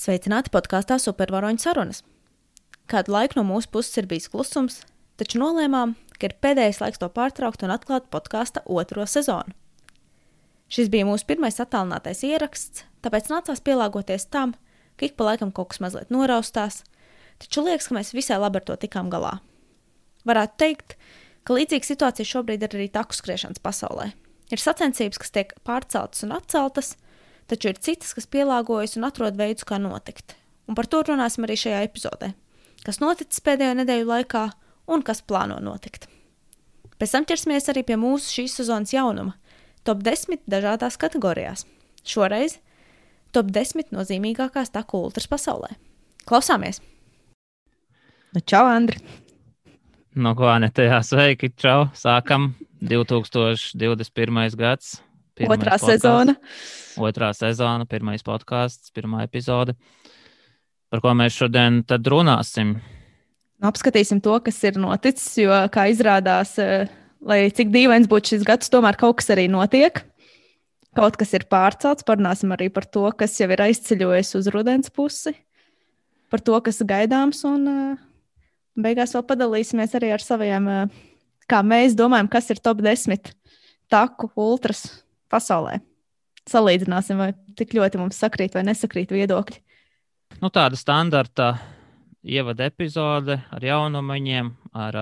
Sveicināti podkāstā Supervaroņu sarunas. Kādu laiku no mūsu puses ir bijis klusums, taču nolēmām, ka ir pēdējais laiks to pārtraukt un atklāt podkāsta 2. sezonu. Šis bija mūsu pirmais attālinātais ieraksts, tāpēc nācās pielāgoties tam, ka ik pa laikam kaut kas mazliet noraustās, taču liekas, ka mēs visai labi ar to tikām galā. Varētu teikt, ka līdzīga situācija šobrīd ir arī taku skriešanas pasaulē. Ir sacensības, kas tiek pārceltas un atceltas, taču ir citas, kas pielāgojas un atrod veidus, kā notikt. Un par to runāsim arī šajā epizodē. Kas noticis pēdējo nedēļu laikā un kas plāno notikt. Pēc tam ķersimies arī pie mūsu šīs sezonas jaunuma – top 10 dažādās kategorijās. Šoreiz top 10 nozīmīgākās taku ultras pasaulē. Klausāmies! Čau, Andri! No ko, Anete, sveiki, čau! Sākam 2021. gads. Otrā sezona. Otrā sezona, pirmais podcasts, pirmā epizode. Par ko mēs šodien tad runāsim? Apskatīsim to, kas ir noticis, jo, kā izrādās, lai cik dīvains būtu šis gads, tomēr kaut kas arī notiek. Kaut kas ir pārcelts, parunāsim arī par to, kas jau ir aizceļojis uz rudens pusi, par to, kas gaidāms, un beigās vēl padalīsimies arī ar saviem, kā mēs domājam, kas ir top 10 taku ultras pasaulē. Salīdzināsim, vai tik ļoti mums sakrīt vai nesakrīt viedokļi. Tāda standarta ievada epizode ar jaunumaņiem, ar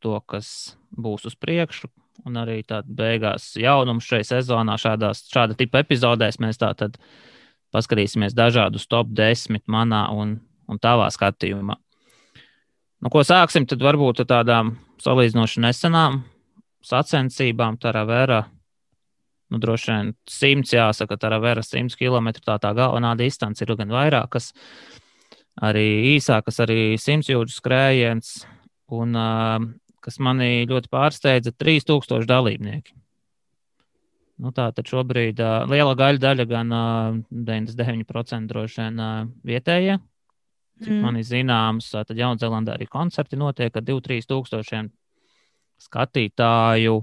to, kas būs uz priekšu, un arī tāda beigās jaunums šai sezonā šāda tipa epizodēs. Mēs tātad paskatīsimies dažādus top 10 manā un tavā skatījumā. Ko sāksim, tad varbūt tādām salīdzinoši nesenām sacensībām. Taravera, droši vien 100, jāsaka, Taravera 100 km, tā galvenā distance ir gan vairākas, arī īsākas, arī 100 jūdžu skrējiens, un kas mani ļoti pārsteidza, 3000 dalībnieki. Tātad šobrīd liela daļa gan 99% droši vien vietējie. Cik man ir zināms, tad Jaunzēlandē arī koncerti notiek ar 2-3 tūkstošiem skatītāju,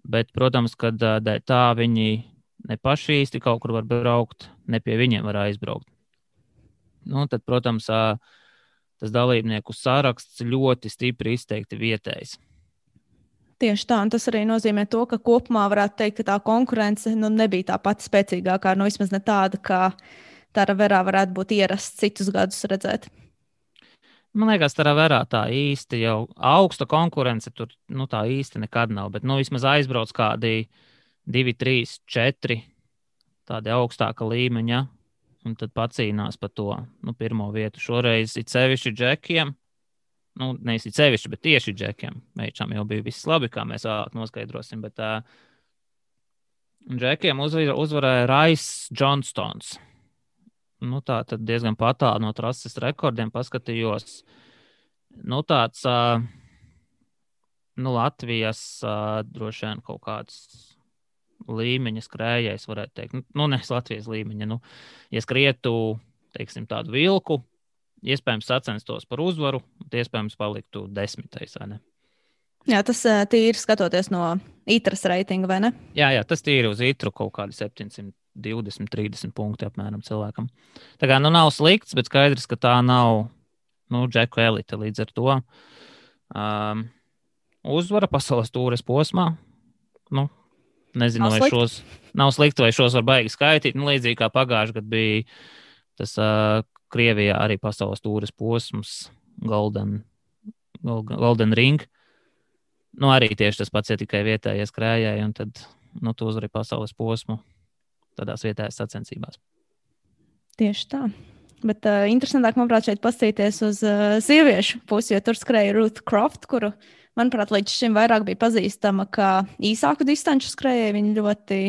bet, protams, kad tā viņi ne paši īsti kaut kur var braukt, ne pie viņiem var aizbraukt. Tad, protams, tas dalībnieku saraksts ļoti stipri izteikti vietējs. Tieši tā, un tas arī nozīmē to, ka kopumā varētu teikt, ka tā konkurence nebija tā pati spēcīgākā, vismaz ne tāda, kā Taraverā varētu būt ierasts citus gadus redzēt. Man liekas, Taraverā tā īsti jau augsta konkurence tur tā īsti nekad nav, bet vismaz aizbrauc kādi 2, 3, 4 tādi augstāka līmeņa, un tad pacīnās par to pirmo vietu. Šoreiz it sevišķi džekiem, nevis it sevišķi, bet tieši džekiem. Meičām jau bija viss labi, kā mēs vēlāk noskaidrosim, bet džekiem uzvarēja Rice Johnstons. Tā tad diezgan patāli no trases rekordiem paskatījos. Tāds Latvijas droši vien kaut kāds līmeņa skrējējs, varētu teikt. Nes Latvijas līmeņa. Ja skrietu, teiksim, tādu vilku, iespējams sacenstos par uzvaru, iespējams paliktu 10. vai ne? Jā, tas tīri skatoties no ITRAS reitinga, vai ne? Jā, tas tīri uz ITRU kaut kādi 720-30 punkti apmēram cilvēkam. Tā kā nav slikts, bet skaidrs, ka tā nav džeku elite līdz ar to. Uzvara pasaules tūres posmā. Nezinu, vai šos nav slikti, vai šos var baigi skaitīt. Līdzīgi kā pagājuši gadu bija tas Krievijā arī pasaules tūres posms Golden Ring. Arī tieši tas pats, ja tikai vietējie skrējēji, un tad tu uzvari pasaules posmu tādās vietējās sacensībās. Tieši tā. Bet interesantāk, manuprāt, šeit paskatīties uz sieviešu pusi, jo tur skrēja Ruth Croft, kuru, manuprāt, līdz šim vairāk bija pazīstama kā īsāku distanču skrējēju. Viņa ļoti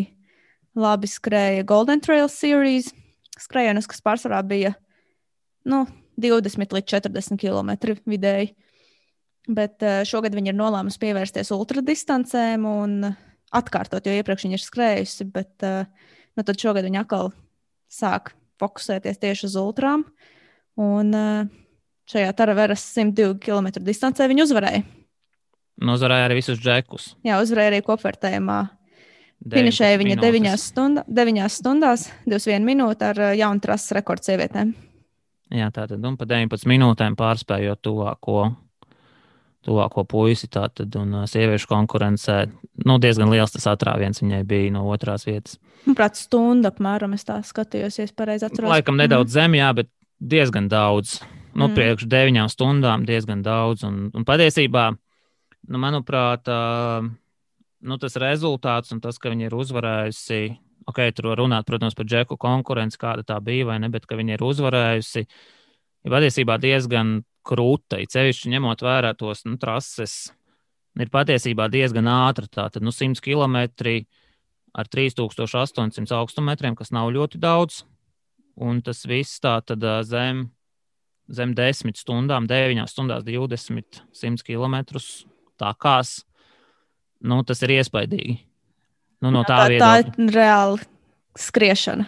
labi skrēja Golden Trail Series skrējienus, kas pārsvarā bija 20 līdz 40 km vidēji. Bet šogad viņa ir nolēmusi pievērsties ultradistancēm un atkārtot, jo iepriekš viņa ir skrējusi, bet tad šogad viņa atkal sāk fokusēties tieši uz ultrām. Un šajā Taraveras 102 km distancē viņa uzvarēja. Uzvarēja arī visus džekus. Jā, uzvarēja arī kopvērtējumā Finišēja viņa 9 stundās, 21 minūte ar jaunu trases rekordu sievietēm. Jā, tātad, un pa 19 minūtēm pārspējot tuvāko puisi, tātad, un sieviešu konkurencē, diezgan liels tas atrāviens viņai bija no otrās vietas. Manuprāt, stunda apmēram, es tā skatījos, ja es pareizi atceros. Laikam nedaudz zem, jā, bet diezgan daudz. Priekš 9 stundām diezgan daudz, un patiesībā, manuprāt, tas rezultāts un tas, ka viņi ir uzvarējusi, tur var runāt, protams, par Džeku konkurenci, kāda tā bija, vai ne, bet ka viņi ir uzvarējusi, ir patiesībā diezgan krūta, cevišķi ņemot vērā tos trases, ir patiesībā diezgan ātra, tātad 100 km ar 3800 augstumetriem, kas nav ļoti daudz, un tas viss tātad zem 10 stundām, 9 stundās 20, 100 km tākās, tas ir iespaidīgi. Tā ir reāla skriešana.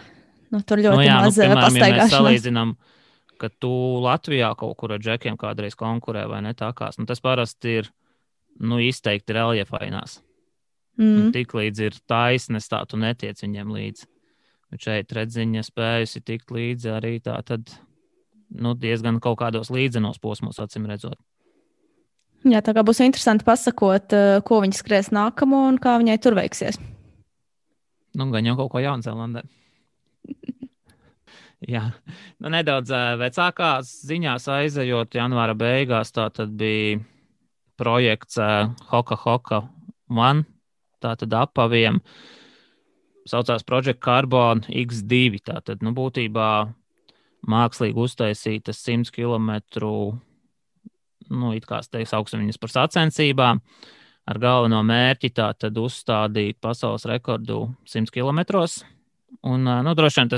Tur ļoti maz pastaigāšanās. Ja mēs salīdzinām, ka tu Latvijā kaut kur ar džekiem kādreiz konkurē vai ne tākās, tas parasti ir izteikti reljefainās. Tik līdz ir taisnes, tā tu netiec viņiem līdzi. Bet šeit redziņa spējusi tikt līdzi arī tā tad diezgan kaut kādos līdzenos posmos, acīm redzot. Jā, tā kā būs interesanti pasakot, ko viņi skries nākamo un kā viņai tur veiksies. Gan jau kaut ko Jaunzēlandē. Jā, nedaudz vecākās ziņās aizejot janvāra beigās, tā tad bija projekts Hoka Hoka One, tā tad apaviem, saucās Project Carbon X2, tā tad, būtībā mākslīgi uztaisītas 100 km, it kā sauksim viņas par sacensībām, ar galveno mērķi tā tad uzstādīt pasaules rekordu 100 km. Un, droši vien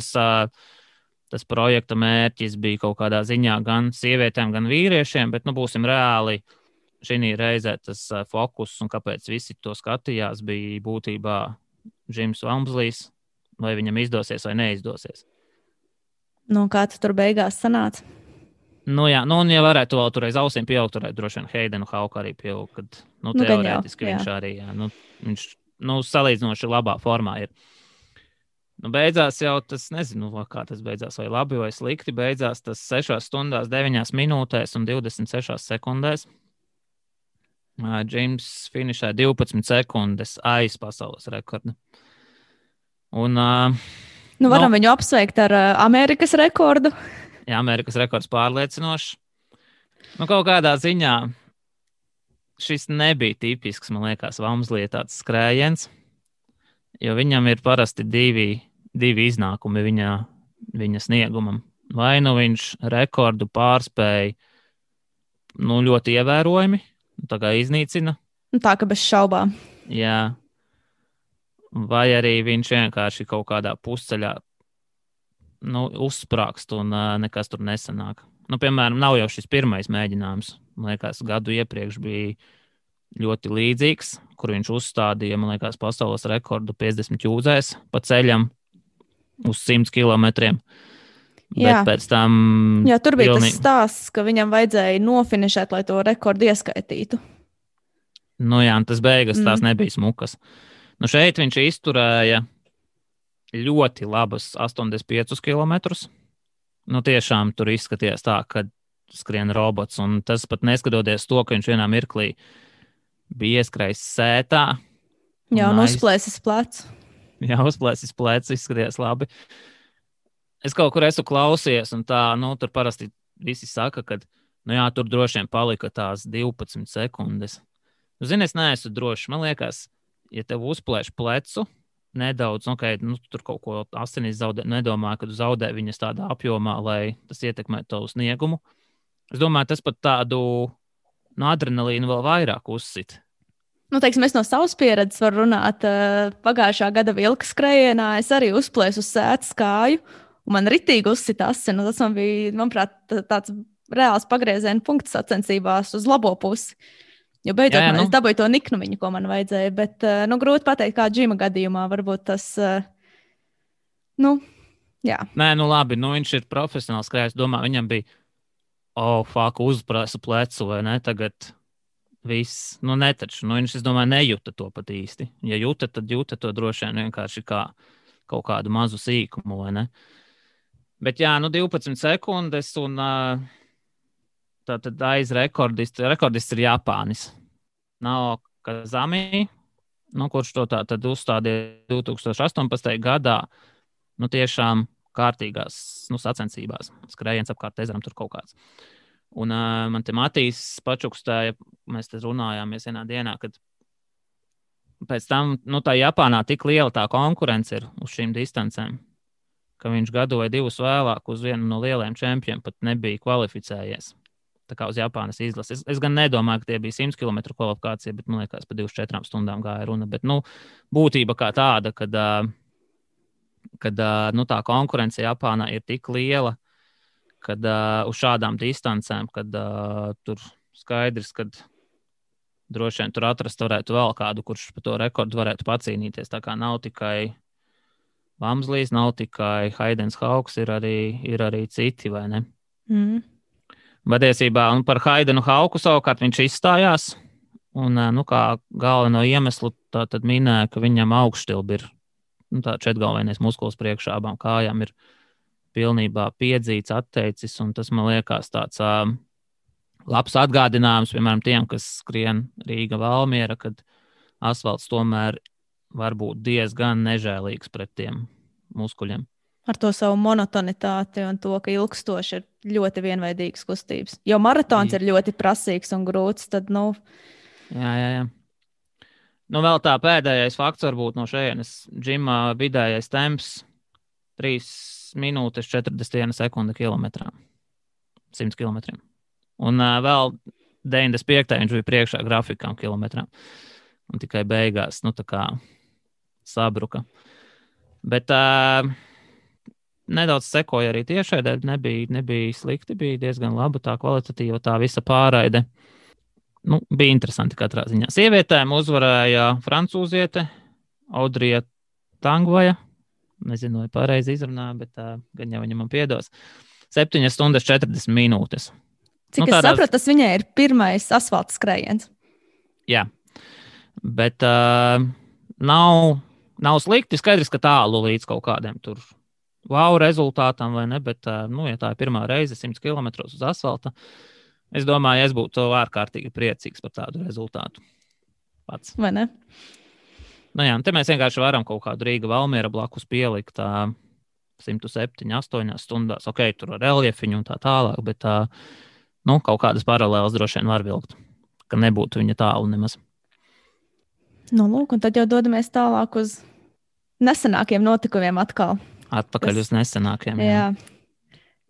tas projekta mērķis bija kaut kādā ziņā gan sievietēm, gan vīriešiem, bet, būsim reāli, šī reizē tas fokus un kāpēc visi to skatījās bija būtībā Džims Vamslīs, vai viņam izdosies vai neizdosies. Kā tu tur beigās sanāca? Jā, un ja varētu vēl tur aiz ausīm pieaugt, turētu droši vien Heidenu Hauku arī pieaugt, kad, teorētiski viņš arī, viņš, salīdzinoši labā formā ir. Beidzās jau tas, nezinu, kā tas beidzās, vai labi vai slikti, beidzās tas 6 stundās, 9 minūtēs un 26 sekundēs. Džims finišē 12 sekundes aiz pasaules rekorda. Un, varam viņu apsveikt ar Amerikas rekordu. Jā, Amerikas rekords pārliecinošs. Kaut kādā ziņā šis nebija tipisks, man liekas, Vamslī tāds skrējiens, jo viņam ir parasti divi iznākumi viņa sniegumam. Vai viņš rekordu pārspēja ļoti ievērojami, tā kā iznīcina. Tā ka bez šaubām. Jā. Vai arī viņš vienkārši kaut kādā pusceļā uzsprāgst un nekas tur nesanāk. Piemēram, nav jau šis pirmais mēģinājums. Man liekas, gadu iepriekš bija ļoti līdzīgs, kur viņš uzstādīja, man liekas, pasaules rekordu 50 jūdzēs pa ceļam uz 100 kilometriem. Bet pēc tam... Jā, tur bija tas stāsts, ka viņam vajadzēja nofinišēt, lai to rekordu ieskaitītu. Jā, tas beigas tās nebija smukas. Šeit viņš izturēja ļoti labas 85 km. Tiešām tur izskatījās tā, ka skrien robots, un tas pat neskatoties to, ka viņš vienā mirklī bija ieskrējis sētā. Jā, un uzplēsis plecu. Jā, uzplēsis plecu, izskatījās labi. Es kaut kur esmu klausījies, un tā, tur parasti visi saka, ka, tur droši vien palika tās 12 sekundes. Zini, es neesmu drošs. Man liekas, ja tev uzplēš plecu nedaudz, tur kaut ko asinis zaudē, nedomāju, ka tu zaudē viņas tādā apjomā, lai tas ietekmē tavu sniegumu. Es domāju, tas pat tādu adrenalīnu vēl vairāk uzsit. Es no savas pieredzes varu runāt. Pagājušā gada vilka skrējienā es arī uzplēsu uz sētas kāju, un man ritīgi uzsita asins. Tas man bija, manuprāt, tāds reāls pagrieziena punkts sacensībās uz labo pusi. Jo beidzot es dabūju to niknumiņu, ko man vajadzēja, bet grūti pateikt, kā Džima gadījumā varbūt tas, jā. Nē, labi, viņš ir profesionāls skrējējs, domāju, viņam bija, uzprasa plecu vai ne, tagad viss, nu netaču, nu viņš, es domāju, nejūta to pat īsti. Ja jūta, tad jūta to droši vien vienkārši kā kaut kādu mazu sīkumu, vai ne? Bet jā, nu 12 sekundes un tātad rekordists ir Japānis. Kazami, nu, kurš to tātad uzstādīja 2018. gadā, nu tiešām kārtīgās sacensībās. Skrējiens apkārt ezeram tur kaut kāds. Un man te Matīs pačukstēja, mēs te runājāmies vienā dienā, kad pēc tam, tā Japānā tik liela tā konkurence ir uz šīm distancēm, ka viņš gadu vai divus vēlāk uz vienu no lielajiem čempioniem pat nebija kvalificējies. Tā kā uz Japānas izlases. Es gan nedomāju, ka tie bija 100 km kvalifikācija, bet man liekas, pa 24 stundām gāja runa. Bet, būtība kā tāda, kad tā konkurence Japānā ir tik liela, kad uz šādām distancēm, kad tur skaidrs, ka droši vien tur atrast varētu vēl kādu, kurš par to rekordu varētu pacīnīties. Tā kā nav tikai Vamslīs, nav tikai Haidens Hauks, ir arī citi, vai ne? Patiesībā par Haidenu Hauku savukārt viņš izstājās, un kā galveno iemeslu tad minēja, ka viņam augšstilbi ir tā četgalvenais muskulis priekšā abām kājām ir pilnībā piedzīts, atteicis, un tas man liekas tāds labs atgādinājums, piemēram, tiem, kas skrien Rīga Valmiera, kad asfalts tomēr var būt diezgan nežēlīgs pret tiem muskuļiem. Ar to savu monotonitāti un to, ka ilgstoši ir ļoti vienveidīgas kustības. Jo maratons ir ļoti prasīgs un grūts, tad, Jā. Vēl tā pēdējais fakts varbūt no šejienes džimā vidējais temps 3 minūtes 41 sekunde kilometrā. 100 kilometriem. Un vēl 95. viņš bija priekšā grafikām kilometrām. Un tikai beigās, tā kā sabruka. Bet nedaudz sekoja arī tiešraidē, nebija slikti, bija diezgan laba tā kvalitatīva, tā visa pārraide. Bija interesanti katrā ziņā. Sievietēm uzvarēja francūziete Audrija Tangvaja. Nezinu, vai pareizi izrunāju, bet gan jau viņa man piedos. 7 stundas 40 minūtes. Cik es sapratu, tas viņai ir pirmais asfalta skrējiens. Jā, bet nav slikti. Skaidrs, ka tālu līdz kaut kādiem tur wow rezultātam, vai ne? Bet, ja tā ir pirmā reize 100 km uz asfalta, es domāju, es būtu ārkārtīgi priecīgs par tādu rezultātu pats. Vai ne? Jā, te mēs vienkārši varam kaut kādu Rīga Valmiera blakus pielikt 107, 8 stundās. Ok, tur ar reljefiņu un tā tālāk, bet kaut kādas paralēlas droši vien var vilkt, ka nebūtu viņa tālu nemaz. Lūk, un tad jau dodamies tālāk uz nesenākiem notikumiem atkal. Atpakaļ uz nesenākiem. Jā.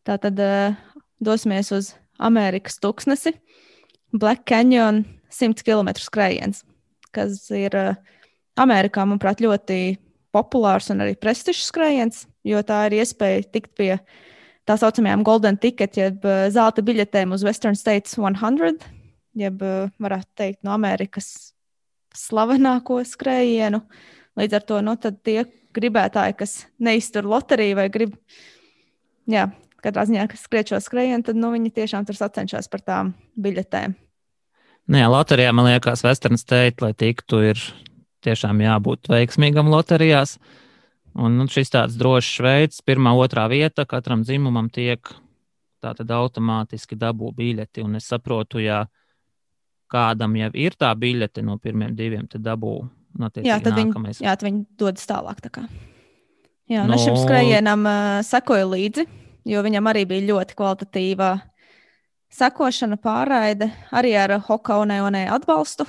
Tā tad dosimies uz Amerikas tuksnesi. Black Canyon 100 km skrējiens, kas ir Amerikā, manuprāt, ļoti populārs un arī prestižs skrējiens, jo tā ir iespēja tikt pie tā saucamajām golden ticket, jeb zelta biļetēm uz Western States 100, jeb varētu teikt no Amerikas slavenāko skrējienu. Līdz ar to, tad tie gribētāji, kas neiztur loteriju vai grib, katrā ziņā, kas skriet šo skrējienu, tad, viņi tiešām tur sacenšas par tām biļetēm. Loterijā, man liekas, Western State, lai tiktu, ir tiešām jābūt veiksmīgam loterijās. Un šis tāds drošs veids, 1., 2. vieta, katram dzimumam tiek tātad automātiski dabū biļeti. Un es saprotu, ja kādam jau ir tā biļete no 1., 2., tad dabū nākamais. Tad viņi dodas tālāk. Tā kā. Jā, un šim skrējienam sekoju līdzi, jo viņam arī bija ļoti kvalitatīva sekošana, pārraide, arī ar Hoka One atbalstu.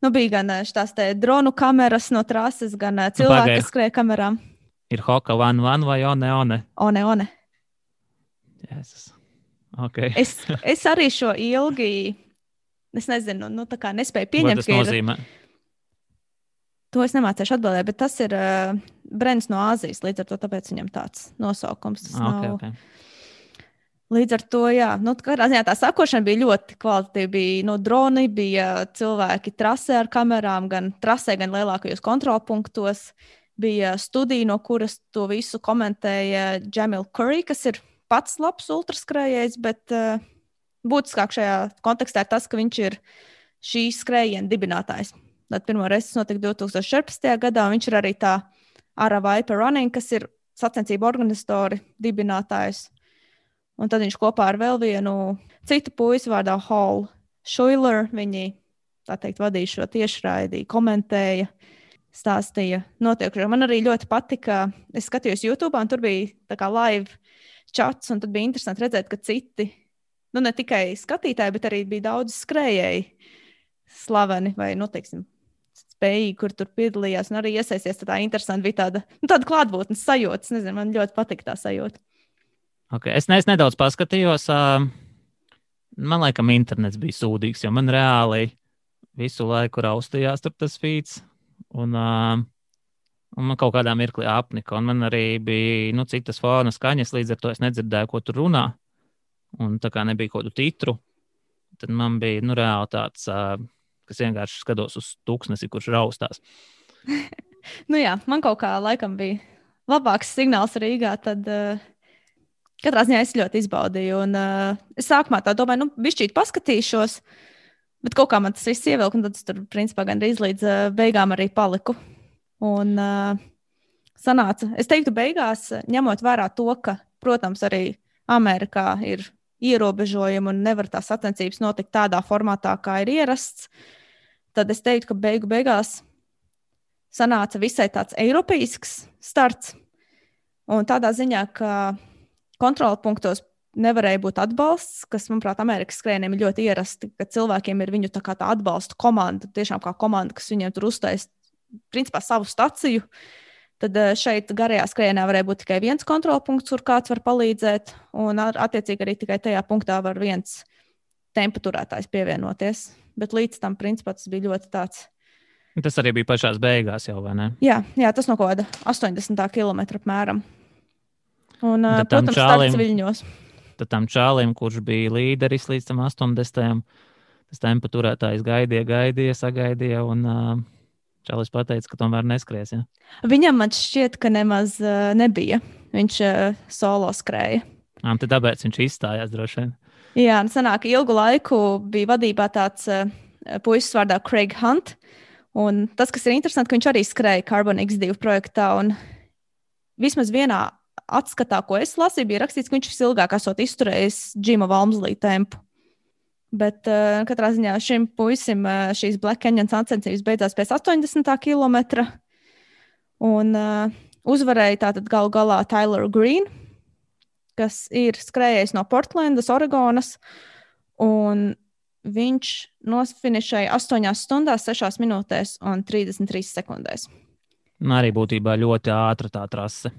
Bija gan šīs dronu kameras no trases, gan cilvēki, kas skrēja kamerām. Ir Hoka One vai One? One. Jēzus. Okay. Es arī šo ilgi, es nezinu, tā kā nespēju pieņemt. Ko tas nozīmē? To es nemācēšu atbildēt, bet tas ir brands no Āzijas, līdz ar to tāpēc viņam tāds nosaukums. Okay. Līdz ar to, katrā ziņā tā sakošana bija ļoti kvalitatīva. Bija droni, bija cilvēki trasē ar kamerām, gan trasē, gan lielākajos kontrolpunktos. Bija studija, no kuras to visu komentēja Jamil Curry, kas ir pats labs ultraskrējējs, bet būtiskāk šajā kontekstā ir tas, ka viņš ir šīs skrējiena dibinātājs. Tad pirmo reizi tas notika 2014. gadā, un viņš ir arī tā Ara Viper Running, kas ir sacensību organizatori, dibinātājs. Un tad viņš kopā ar vēl vienu citu puisi vārdā Hall Schuiler, viņi, tā teikt, vadīja šo tiešraidi, komentēja, stāstīja notiekušo. Man arī ļoti patika, es skatījos YouTube, un tur bija tā kā live chats, un tad bija interesanti redzēt, ka citi, nu ne tikai skatītāji, bet arī bija daudz skrējēji slaveni vai, nu, teiksim, spējīgi, kur tur piedalījās un arī iesaisties. Tā interesanti bija tāda klātbūtnes sajūta. Nezinu, man ļoti patika tā sajūta. Okay. Es nedaudz paskatījos. Man laikam internets bija sūdīgs, jo man reāli visu laiku raustījās tur tas feeds. Un man kaut kādā mirklī apnika. Un man arī bija citas fona skaņas, līdz ar to es nedzirdēju, ko tur runā. Un tā kā nebija kaut kādu titru, tad man bija reāli tāds, kas vienkārši skatos uz tūkstnesi, kurš raustās. Nu jā, man kaut kā laikam bija labāks signāls Rīgā, tad katrā ziņā es ļoti izbaudīju. Un es sākumā tā domāju, bišķīt paskatīšos, bet kaut kā man tas viss ievilka, un tad es tur principā gandrīz līdz beigām arī paliku. Un sanāca, es teiktu beigās, ņemot vērā to, ka, protams, arī Amerikā ir ierobežojumi un nevar tās sacensības notikt tādā formātā, kā ir ierasts, tad es teiktu, ka beigās sanāca visai tāds eiropeisks starts. Un tādā ziņā, ka kontrola punktos nevarēja būt atbalsts, kas, manuprāt, Amerikas skrējieniem ir ļoti ierasti, ka cilvēkiem ir viņu tā atbalsta komanda, tiešām kā komanda, kas viņiem tur uztais, principā, savu staciju. Tad šeit garajā skrējienā varēja būt tikai viens kontrola punkts, kur kāds var palīdzēt, un attiecīgi arī tikai tajā punktā var viens tempa turētājs pievienoties. Bet līdz tam, principā, tas bija ļoti tāds. Tas arī bija pašās beigās jau, vai ne? Jā, tas no kaut kāda 80 km apmēram. Un, protams, starts Viļņos. Tad tam čālim, kurš bija līderis līdz tam 80. tas tempa turētājs gaidīja, sagaidīja, un čalis pateica, ka tomēr neskries. Ja? Viņam man šķiet, ka nemaz nebija. Viņš solo skrēja. Tad tāpēc viņš izstājās droši vien. Jā, sanāk, ilgu laiku bija vadībā tāds puisis vārdā Craig Hunt. Un tas, kas ir interesanti, ka viņš arī skrēja Carbon X2 projektā. Un vismaz vienā atskatā, ko es lasīju, bija rakstīts, ka viņš visilgāk esot izturējis Džima Valmslī tempu. Bet katrā ziņā šim puisim šīs Black Canyon sacensības beidzās pēc 80 km. Un uzvarēja tātad galu galā Tyler Green, kas ir skrējējis no Portlandas, Oregonas. Un viņš nosfinišēja 8 stundās, 6 minūtēs un 33 sekundēs. Arī būtībā ļoti ātra tā trase.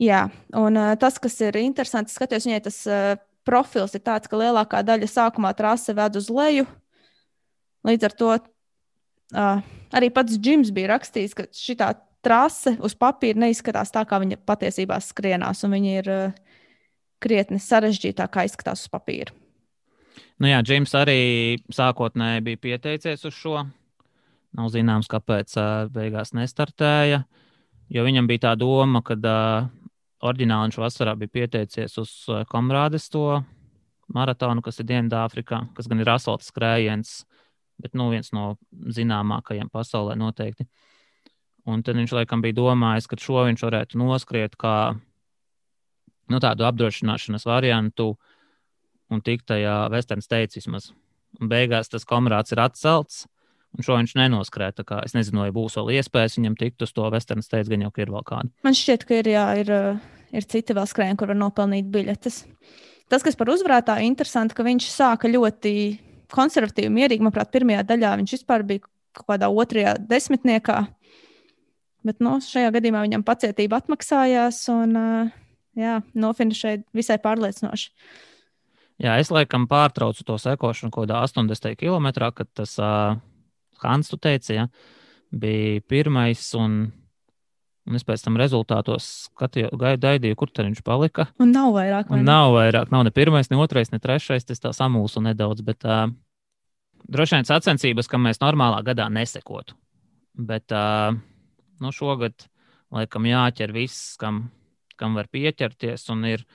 Jā, un tas, kas ir interesanti, skatījos viņai tas profils ir tāds, ka lielākā daļa sākumā trase ved uz leju. Līdz ar to arī pats Džims bija rakstījis, ka šitā trase uz papīra neizskatās tā, kā viņa patiesībā skrienās, un viņa ir krietni sarežģītāk, kā izskatās uz papīra. Nu jā, Džims arī sākotnēji bija pieteicies uz šo. Nav zināms, kāpēc beigās nestartēja, jo viņam bija tā doma, ka oriģināli viņš vasarā bija pieteicies uz Komrādes to maratonu, kas ir Dienvidāfrikā, kas gan ir asfalta skrējiens, bet viens no zināmākajiem pasaulē noteikti. Un tad viņš laikam bija domājis, ka šo viņš varētu noskriet kā tādu apdrošināšanas variantu un tikt tajā Western States vismaz. Un beigās tas Komrāds ir atcelts, un šo viņš nenoskrēja. Es nezinu, vai būs vēl iespējas viņam tikt uz to Western States, gan jau ka ir vēl kāda. Man šķiet, ka ir citi vēl skrējieni, kur var nopelnīt biļetes. Tas, kas par uzvarētāju interesanti, ka viņš sāka ļoti konservatīvi, mierīgi. Manuprāt, pirmajā daļā viņš vispār bija kaut kādā 2. desmitniekā. Bet šajā gadījumā viņam pacietība atmaksājās un nofinišēja visai pārliecinoši. Jā, es laikam pārtraucu to sekošanu kaut kādā 80 km, kad tas Hans, tu teici, ja, bija pirmais, un es pēc tam rezultātos gaidīju, kur tad viņš palika. Un nav vairāk. Nav ne pirmais, ne otrais, ne trešais, tas tā samulsu nedaudz, bet droši vien sacensības, kam mēs normālā gadā nesekotu. Bet šogad laikam jāķer viss, kam var pieķerties, un ir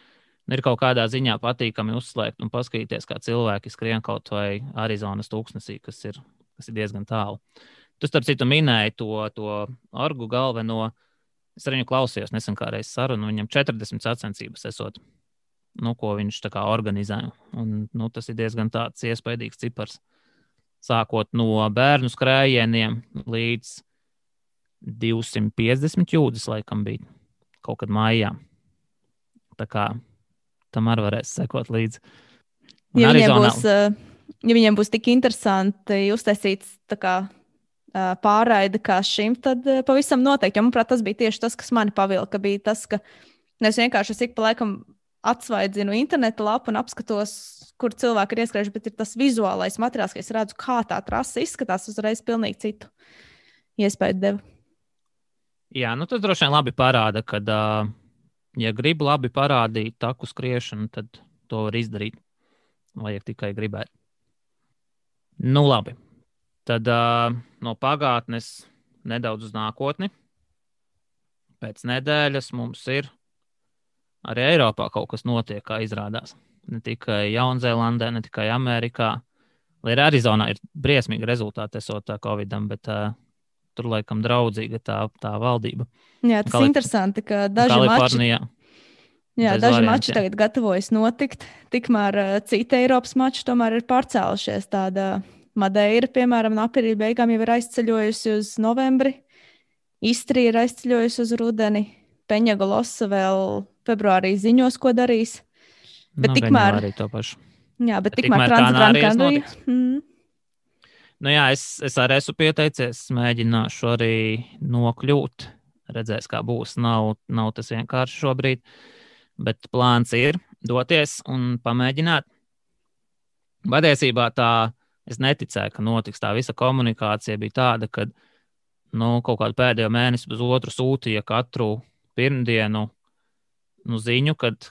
kaut kādā ziņā patīkami uzslēgt un paskatīties, kā cilvēki skrien kaut vai Arizonas tūkstnesī, kas ir kas ir diezgan tālu. Tu, starp citu, minēji to orgu galveno. Es ar viņu klausījos nesen kā reiz sarunu. Viņam 40 sacensības esot, ko viņš tā kā organizē. Un, tas ir diezgan tāds iespaidīgs cipars. Sākot no bērnu skrējieniem līdz 250 jūdzes, laikam bija kaut kad maijā. Tā kā tam arī varēs sekot līdzi. Ja viņiem būs tik interesanti uztaisīts tā kā pārraide kā šim, tad pavisam noteikti. Jo, manuprāt, tas bija tieši tas, kas mani pavilka. Bija tas, ka es vienkārši ik pa laikam atsvaidzinu interneta lapu un apskatos, kur cilvēki ir ieskrējuši, bet ir tas vizuālais materiāls, ka es redzu, kā tā trasa izskatās, uzreiz pilnīgi citu iespēju deva. Jā, tas droši vien labi parāda, ka, ja grib labi parādīt taku skriešanu, tad to var izdarīt. Vajag tikai gribēt. Labi. Tad no pagātnes nedaudz uz nākotni. Pēc nedēļas mums ir arī Eiropā kaut kas notiek, kā izrādās. Ne tikai Jaunzēlandē, ne tikai Amerikā. Lai arī Arizonā ir briesmīgi rezultāti esot tā Covidam, bet tur laikam draudzīga tā valdība. Jā, tas ir interesanti, ka daži mači tagad gatavojas notikt. Tikmēr citi Eiropas mači tomēr ir pārcēlušies. Tāda Madeira, piemēram, no aprīļa beigām jau ir aizceļojusi uz novembri. Istrija ir aizceļojusi uz rudeni. Peņagolosa vēl februārī ziņos, ko darīs. Bet tikmēr arī to pašu. Jā, bet tikmēr Transgranārijas notiks. Es arī esmu pieteicies, mēģināšu arī nokļūt. Redzēs, kā būs. Nav tas vienkārši šobrīd. Bet plāns ir doties un pamēģināt. Patiesībā es neticēju, ka notiks. Tā visa komunikācija bija tāda, ka kaut kādu pēdējo mēnesi uz otru sūtīja katru pirmdienu ziņu, kad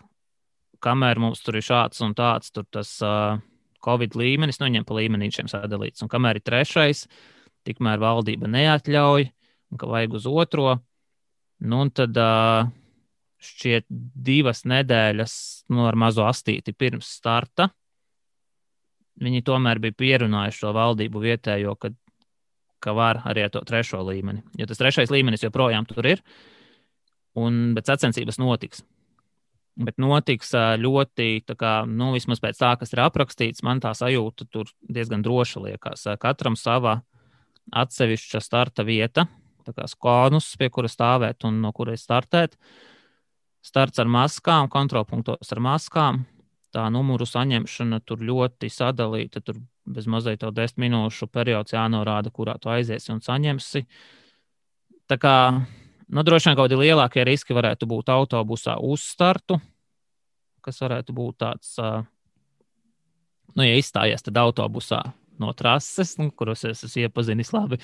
kamēr mums tur ir šāds un tāds, tur tas Covid līmenis, viņiem pa līmenīšiem sadalīts. Un kamēr ir trešais, tikmēr valdība neatļauj, un ka vajag uz otro. Un tad šķiet 2 nedēļas ar mazo astīti pirms starta. Viņi tomēr bija pierunājuši to valdību vietējo, ka var arī ar to trešo līmeni. Jo tas trešais līmenis joprojām tur ir, bet sacensības notiks. Bet notiks ļoti, vismaz pēc tā, kas ir aprakstīts, man tā sajūta tur diezgan droša liekas. Katram sava atsevišķa starta vieta, tā kā skonus, pie kura stāvēt un no kuras startēt. Starts ar maskām, kontrolpunktos ar maskām. Tā numuru saņemšana tur ļoti sadalīta, tur bez mazliet 10 minūšu periods jānorāda, kurā tu aiziesi un saņemsi. Tā kā, droši vien kaut kādi lielākie riski varētu būt autobusā uz startu, kas varētu būt tāds, ja izstājies tad autobusā no trases, kuros es esmu iepazinis labi,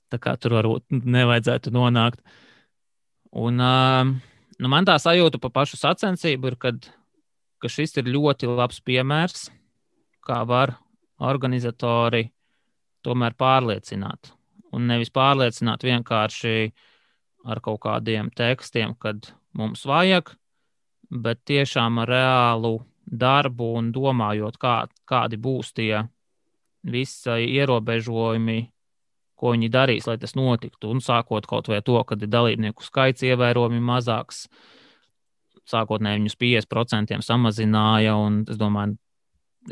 tā kā tur varbūt nevajadzētu nonākt. Un man tā sajūta pa pašu sacensību ir, ka šis ir ļoti labs piemērs, kā var organizatori tomēr pārliecināt. Un nevis pārliecināt vienkārši ar kaut kādiem tekstiem, kad mums vajag, bet tiešām ar reālu darbu un domājot, kādi būs tie visi ierobežojumi, ko viņi darīs, lai tas notiktu. Un sākot kaut vai to, kad ir dalībnieku skaits ievērojami mazāks, sākotnēji viņus 50% samazināja, un es domāju,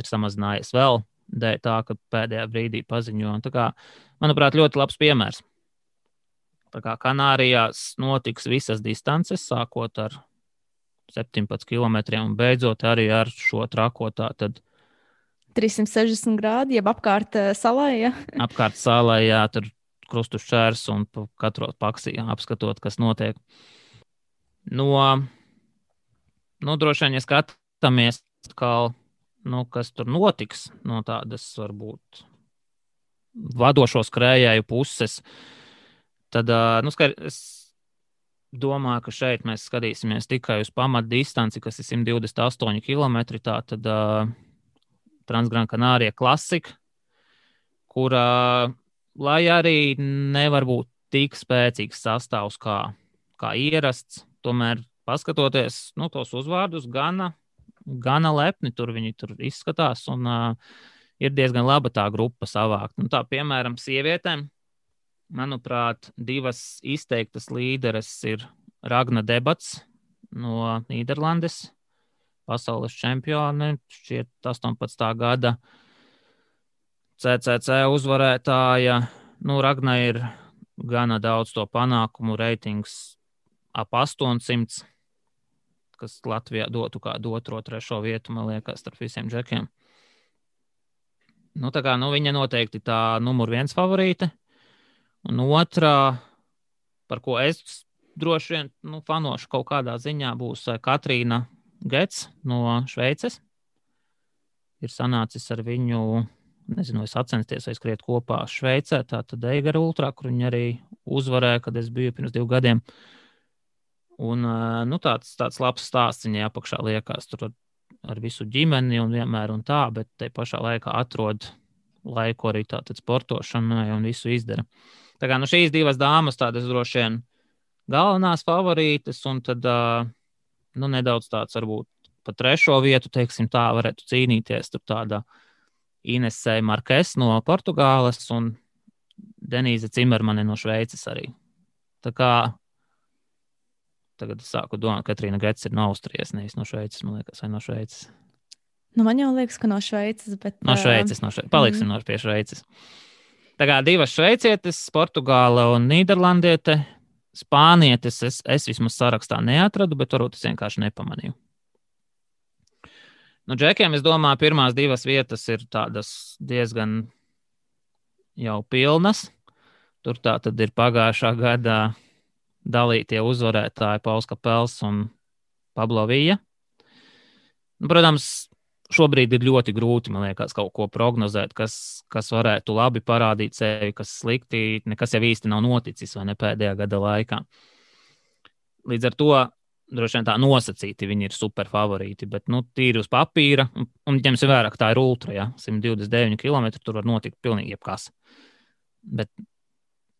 ir samazinājies vēl dēļ tā, ka pēdējā brīdī paziņo. Tā kā, manuprāt, ļoti labs piemērs. Tā kā Kanārijās notiks visas distances, sākot ar 17 kilometriem un beidzot arī ar šo trakotā. Tad 360 grādi, jeb apkārt salai, ja? Apkārt salai, jā, tur krustu šķērs un katru paksī apskatot, kas notiek. Droši vien, ja skatāmies, kas tur notiks no tādas, varbūt, vadošo skrējēju puses, tad, es domāju, ka šeit mēs skatīsimies tikai uz pamatdistanci, kas ir 128 km, tā tad Transgranārija klasika, kurā, lai arī nevar būt tik spēcīgs sastāvs kā ierasts, tomēr paskatoties tos uzvārdus, gana lepni tur viņi tur izskatās un ir diezgan laba tā grupa savākt. Nu, tā, piemēram, sievietēm, manuprāt, divas izteiktas līderes ir Ragna Debats no Nīderlandes, pasaules čempione, šķiet 18. gada CCC uzvarētāja. Nu, Ragna ir gana daudz to panākumu, reitings ap 800, kas Latvijā dotu kādu 2., 3. vietu, man liekas, starp visiem džekiem. Nu, tā kā, viņa noteikti tā numur 1 favorīte. Un otrā, par ko es droši vien fanošu kaut kādā ziņā, būs Katrīna Gets no Šveices. Ir sanācis ar viņu, nezinu, es sacensties vai skriet kopā Šveicē, tātad Eigara Ultrā, kur viņi arī uzvarēja, kad es biju pirms 2 gadiem. Un tāds labs stāsts viņai apakšā liekas, tur ar visu ģimeni un vienmēr un tā, bet te pašā laikā atrod laiku arī tātad sportošanai un visu izdara. Tā kā šīs divas dāmas tādas droši vien galvenās favorītes, un tad nedaudz tāds varbūt pa 3. vietu, teiksim tā, varētu cīnīties. Tur tāda Inese Markes no Portugāles un Denīze Cimermane no Šveices arī. Tā kā tagad es sāku domāt, ka Katrīna Gets ir no Austrijas, nevis no Šveices, man liekas, vai no Šveices. Man jau liekas, ka no Šveices, bet... No Šveices. Paliksim pie Šveices. Tā kā divas šveicietes, Portugāla un Nīderlandiete, spānietes es vismaz sarakstā neatradu, bet varbūt es vienkārši nepamanīju. Džekiem, es domāju, pirmās 2 vietas ir tādas diezgan jau pilnas. Tur tā tad ir pagājušā gadā dalītie uzvarētāji Pauls Kapels un Pablo Villa. Protams, šobrīd ir ļoti grūti, man liekas, kaut ko prognozēt, kas varētu labi parādīt sevi, kas slikti, nekas jau īsti nav noticis vai ne pēdējā gada laikā. Līdz ar to droši vien tā nosacīti viņi ir super favorīti, bet tīri uz papīra, un ņemsim vērā, ka tā ir ultra, ja, 129 km, tur var notikt pilnīgi jebkas. Bet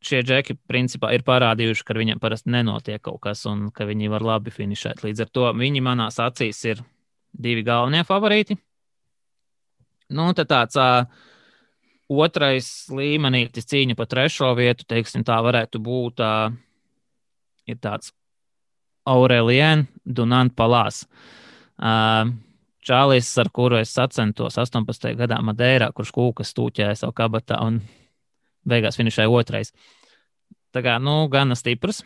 šie džeki principā ir parādījuši, ka viņiem parasti nenotiek kaut kas un ka viņi var labi finišēt. Līdz ar to viņi manās acīs ir 2 galvenie favorīti. Tad tāds otrais līmenītis cīņa pa 3. vietu, teiksim, tā varētu būt ir tāds Aurelien Dunant Palās. Čālis, ar kuru es sacentos 18. gadā Madeirā, kurš kūkas stūķēja savu kabatā un beigās finišēja 2. Tā kā, gana stiprs.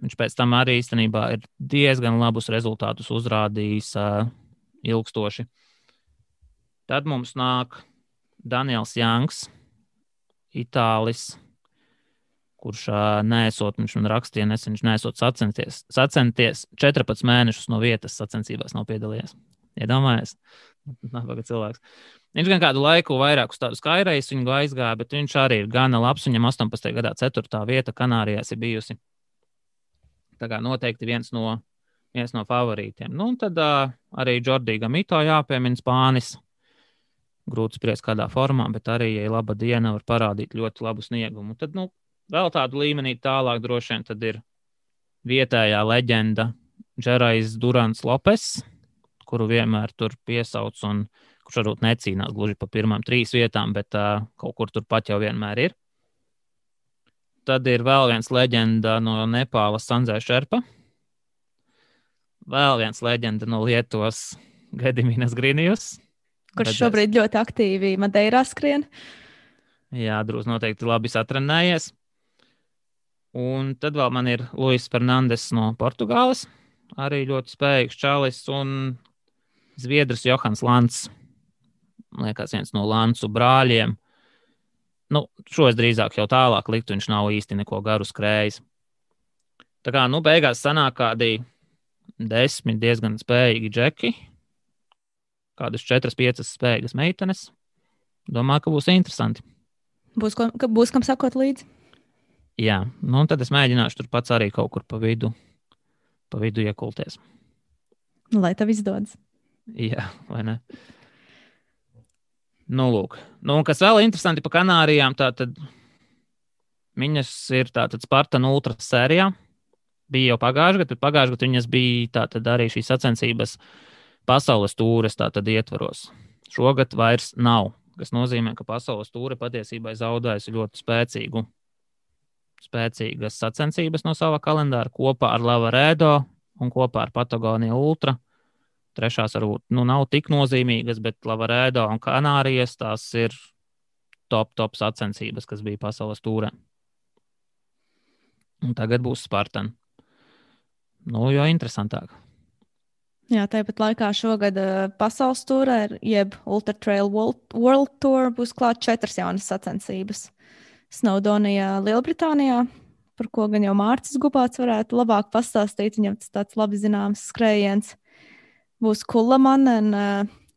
Viņš pēc tam arī īstenībā ir diezgan labus rezultātus uzrādījis ilgstoši. Tad mums nāk Daniels Janks, Itālis, kurš neesot, viņš man rakstīja nesen, viņš neesot sacenties 14 mēnešus no vietas sacensībās nav piedalījies. Iedomājies? Nabaga cilvēks. Viņš gan kādu laiku vairāk uz tādu Skyrace viņu aizgāja, bet viņš arī ir gana labs. Viņam 18. gadā 4. vieta Kanārijās ir bijusi. Tā kā noteikti viens no favorītiem. Tad arī Jordi Gamito jāpiemina, Spānis. Grūti spriest kādā formā, bet arī, ja laba diena, var parādīt ļoti labu sniegumu. Tad, vēl tādu līmenī tālāk droši vien tad ir vietējā leģenda Džerais Durants Lopes, kuru vienmēr tur piesauc un kurš varbūt necīnās gluži pa pirmām 3 vietām, bet kaut kur turpat jau vienmēr ir. Tad ir vēl viens leģenda no Nepālas Sandzē Šerpa. Vēl viens leģenda no Lietuvas Gediminas Grinijus. Kurš šobrīd ļoti aktīvi Madeirā skrien. Jā, drūz noteikti labi satrenējies. Un tad vēl man ir Luis Fernandes no Portugāles. Arī ļoti spējīgs čalis un Zviedrs Johans Lants. Man liekas, viens no Lantsu brāļiem. Šo es drīzāk jau tālāk liktu, viņš nav īsti neko garu skrējis. Tā kā, beigās sanāk kādi 10 diezgan spējīgi džeki. Kādas 4-5 spējīgas meitenes. Domāju, ka būs interesanti. Būs kam sakot līdzi? Jā, tad es mēģināšu tur pats arī kaut kur pa vidu iekulties. Lai tev izdodas. Jā, vai ne? Lūk. Kas vēl interesanti pa Kanārijām, tātad viņas ir tātad Spartan Ultra sērijā. Bija jau pagājušajā gadā, bet pagājušajā gadā viņas bija tātad arī šīs sacensības pasaules tūres tātad ietvaros. Šogad vairs nav kas nozīmē, ka pasaules tūre patiesībā zaudējusi ļoti spēcīgas sacensības no sava kalendāra kopā ar Lavaredo un kopā ar Patagonija Ultra. Trešās varbūt nav tik nozīmīgas, bet Lavaredo un Kanārijas tās ir top sacensības, kas bija pasaules tūrē. Un tagad būs Spartan. Jo interesantāk. Jā, tāpat laikā šogad pasaules tūrē, jeb Ultra Trail World Tour, būs klāt 4 jaunas sacensības. Snowdonijā, Lielbritānijā, par ko gan jau Mārcis Gubāts varētu labāk pastāstīt, viņam tas tāds labi zināms skrējiens. Būs Kulamanen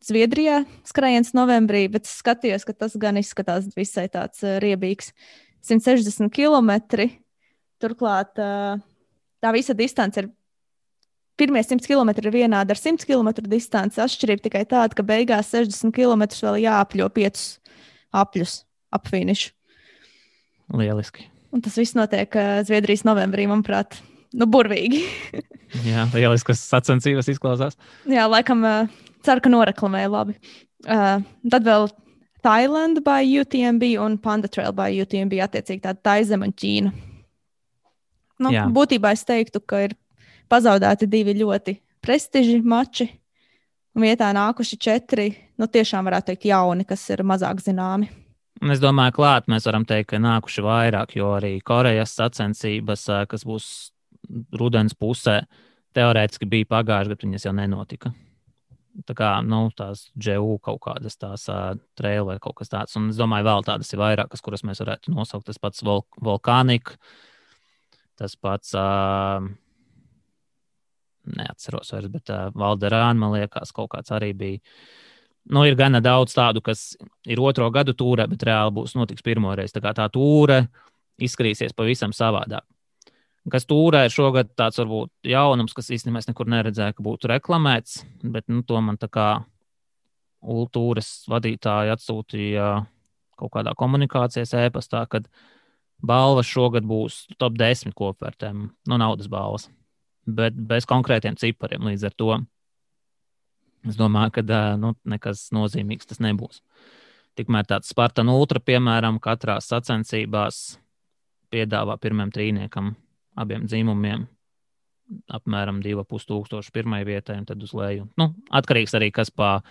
Zviedrijā skrējiens novembrī, bet es skatījos, ka tas gan izskatās visai tāds riebīgs. 160 km. Turklāt tā visa distance ir. Pirmie 100 km ir vienādi ar 100 km distanci. Atšķirība tikai tāda, ka beigās 60 km vēl jāapļo 5 apļus ap finišu. Lieliski. Un tas viss notiek Zviedrijas novembrī, manuprāt, burvīgi. Jā, lieliskas sacensības izklausās. Jā, laikam ceru, ka noreklamēja labi. Tad vēl Thailand by UTMB un Panda Trail by UTMB attiecīgi tāda Taizem un Ķīna. Būtībā es teiktu, ka ir pazaudēti 2 ļoti prestiži mači, un vietā nākuši 4, tiešām varētu teikt jauni, kas ir mazāk zināmi. Un es domāju, klāt mēs varam teikt, ka nākuši vairāk, jo arī Korejas sacensības, kas būs rudens pusē, teorētiski bija pagājuši, bet viņas jau nenotika. Tā kā, tās GU kaut kādas tās trail vai kaut kas tāds, un es domāju, vēl tādas ir vairākas, kuras mēs varētu nosaukt, tas pats Volcanic, tas pats... neatceros vairs, bet Valderāna, man liekas, kaut kāds arī bija. Ir gana daudz tādu, kas ir 2. gadu tūrē, bet reāli notiks pirmoreiz. Tā kā tā tūre izskatīsies pavisam savādāk. Kas tūrē ir šogad tāds varbūt jaunums, kas īstenībā es nekur neredzēju, ka būtu reklamēts, bet to man tā kā Ultūras vadītāji atsūtīja kaut kādā komunikācijas ēpastā, kad balvas šogad būs top 10 kopvērtēm, naudas balvas. Bet bez konkrētiem cipariem līdz ar to. Es domāju, ka nekas nozīmīgs tas nebūs. Tikmēr tāds Spartan Ultra, piemēram, katrā sacensībās piedāvā pirmajam trīniekam abiem dzimumiem apmēram 2,5 pirmai vietai un tad uz leju. Atkarīgs arī, kas pa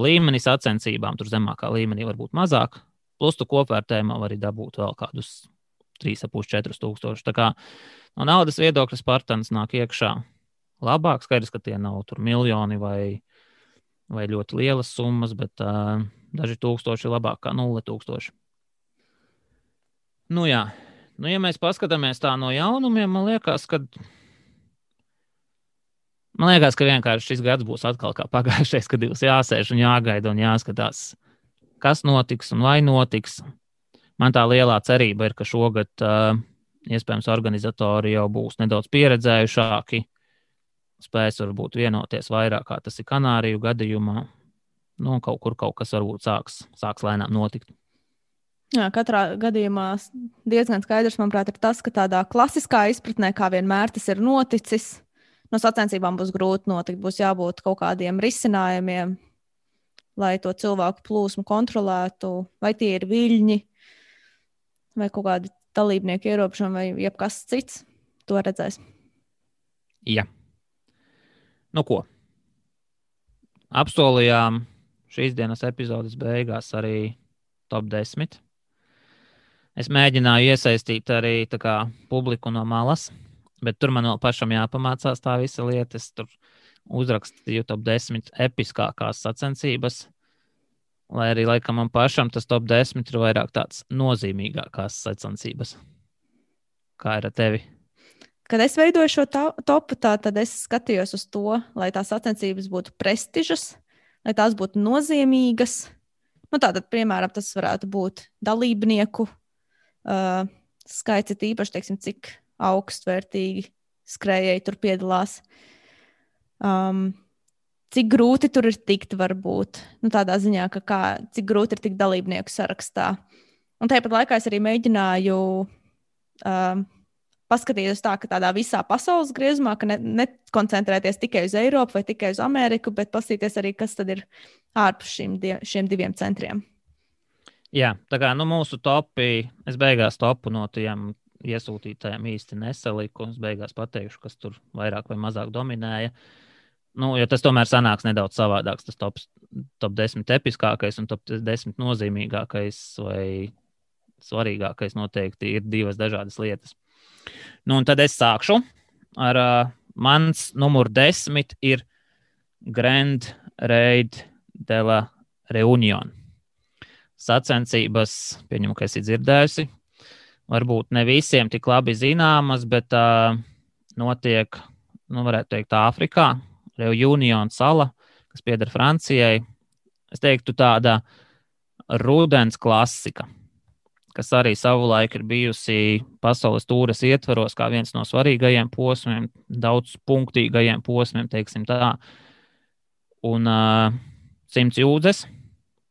līmeni sacensībām, tur zemākā līmenī var būt mazāk, plus tu kopvērtējumā var arī dabūt vēl kādus 3,5–4 tūkstoši. Tā kā no naudas viedokļa Spartans nāk iekšā labāk. Skaidrs, ka tie nav tur miljoni vai ļoti lielas summas, bet daži tūkstoši labāk kā 0 tūkstoši. Jā. Ja mēs paskatāmies tā no jaunumiem, man liekas, ka vienkārši šis gads būs atkal kā pagājušais, kad būs jāsēž un jāgaida un jāskatās, kas notiks un vai notiks. Man tā lielā cerība ir, ka šogad iespējams organizatori jau būs nedaudz pieredzējušāki, spēs varbūt vienoties vairāk, kā tas ir Kanāriju gadījumā. Kaut kur kaut kas varbūt sāks lēnām notikt. Jā, katrā gadījumā diezgan skaidrs, manuprāt, ir tas, ka tādā klasiskā izpratnē, kā vienmēr tas ir noticis, no sacensībām būs grūti notikt, būs jābūt kaut kādiem risinājumiem, lai to cilvēku plūsmu kontrolētu, vai tie ir viļņi, vai kaut kādi dalībnieku ierobežojumi, vai jebkas cits. To redzēs. Jā. Ko? Apsolījām šīs dienas epizodes beigās arī top 10. Es mēģināju iesaistīt arī publiku no malas, bet tur man vēl pašam jāpamācās tā visa lieta. Es tur uzrakstīju top 10 episkākās sacensības, lai arī laikam man pašam tas top 10 ir vairāk tāds nozīmīgākās sacensības. Kā ir ar tevi? Kad es veidoju šo topu, tad es skatījos uz to, lai tās sacensības būtu prestižas, lai tās būtu nozīmīgas. Tātad, piemēram, tas varētu būt dalībnieku skaits, īpaši, teiksim, cik augstvērtīgi skrējēji tur piedalās. Cik grūti tur ir tikt, varbūt. Tādā ziņā, cik grūti ir tikt dalībnieku sarakstā. Un tāpat laikā es arī mēģināju paskatīties tā, ka tādā visā pasaules griezumā, ka nekoncentrēties tikai uz Eiropu vai tikai uz Ameriku, bet paskatīties arī, kas tad ir ārpus šiem 2 centriem. Jā, tā kā mūsu topi, es beigās topu no tiem iesūtītājiem īsti nesaliku. Es beigās pateikšu, kas tur vairāk vai mazāk dominēja. Jo tas tomēr sanāks nedaudz savādāks. Tas top 10 episkākais un top 10 nozīmīgākais vai svarīgākais noteikti ir divas dažādas lietas. Un tad es sākšu ar mans numur 10 ir Grand Raid de la Reunion. Sacensības, pieņemu, ka esi dzirdējusi, varbūt ne visiem tik labi zināmas, bet notiek, varētu teikt, Āfrikā, Reunion sala, kas pieder Francijai. Es teiktu tāda rudens klasika, kas arī savulaik ir bijusi pasaules tūres ietvaros kā viens no svarīgajiem posmiem, daudz punktīgajiem posmiem, teiksim tā. Un 100 jūdzes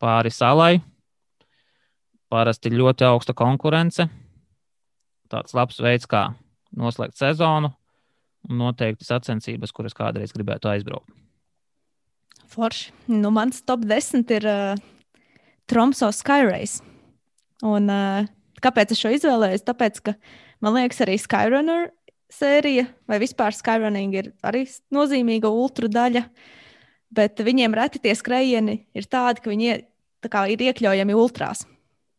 pāri salai. Parasti ļoti augsta konkurence. Tāds labs veids, kā noslēgt sezonu. Un noteikti sacensības, kuras kādreiz gribētu aizbraukt. Forši. Mans top 10 ir Tromso Skyrace. Un kāpēc es šo izvēlējos? Tāpēc, ka man liekas arī Skyrunner sērija vai vispār Skyrunning ir arī nozīmīga ultra daļa. Bet viņiem reti tie skrējieni ir tādi, ka viņi ir iekļaujami ultrās.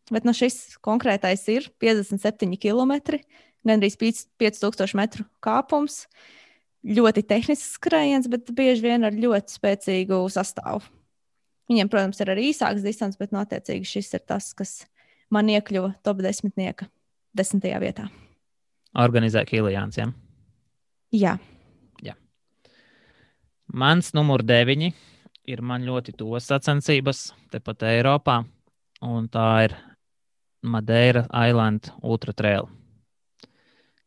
Bet šis konkrētais ir 57 km, gandrīz 5000 metru kāpums. Ļoti tehnisks skrējiens, bet bieži vien ar ļoti spēcīgu sastāvu. Viņiem, protams, ir arī īsāks distance, bet attiecīgi šis ir tas, kas man iekļuva top 10. 10. vietā. Organizē Kilijāns, ja? Jā. Mans numur 9 ir man ļoti tos sacensības tepat Eiropā, un tā ir Madeira Island Ultra Trail.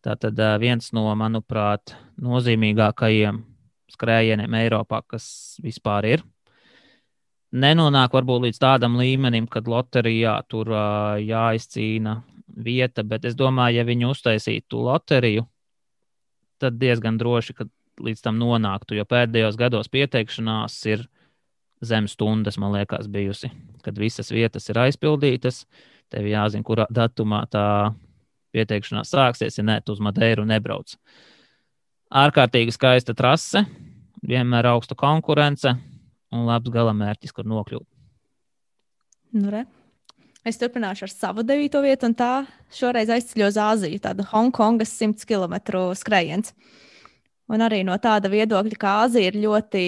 Tātad viens no, manuprāt, nozīmīgākajiem skrējieniem Eiropā, kas vispār ir. Nenonāk varbūt līdz tādam līmenim, kad loterijā tur jāizcīna vieta, bet es domāju, ja viņi uztaisītu loteriju, tad diezgan droši, ka līdz tam nonāktu, jo pēdējos gados pieteikšanās ir zem stundas, man liekas, bijusi, kad visas vietas ir aizpildītas. Tev jāzina, kurā datumā tā pieteikšanās sāksies, ja ne, tu uz Madeiru nebrauc. Ārkārtīgi skaista trase, vienmēr augsta konkurence un labs galamērķis, kur nokļūt. Es turpināšu ar savu 9. vietu, un tā šoreiz aizceļo uz Āziju, tāda Hongkongas 100 km skrējiens. Un arī no tāda viedokļa, ka Āzija ir ļoti,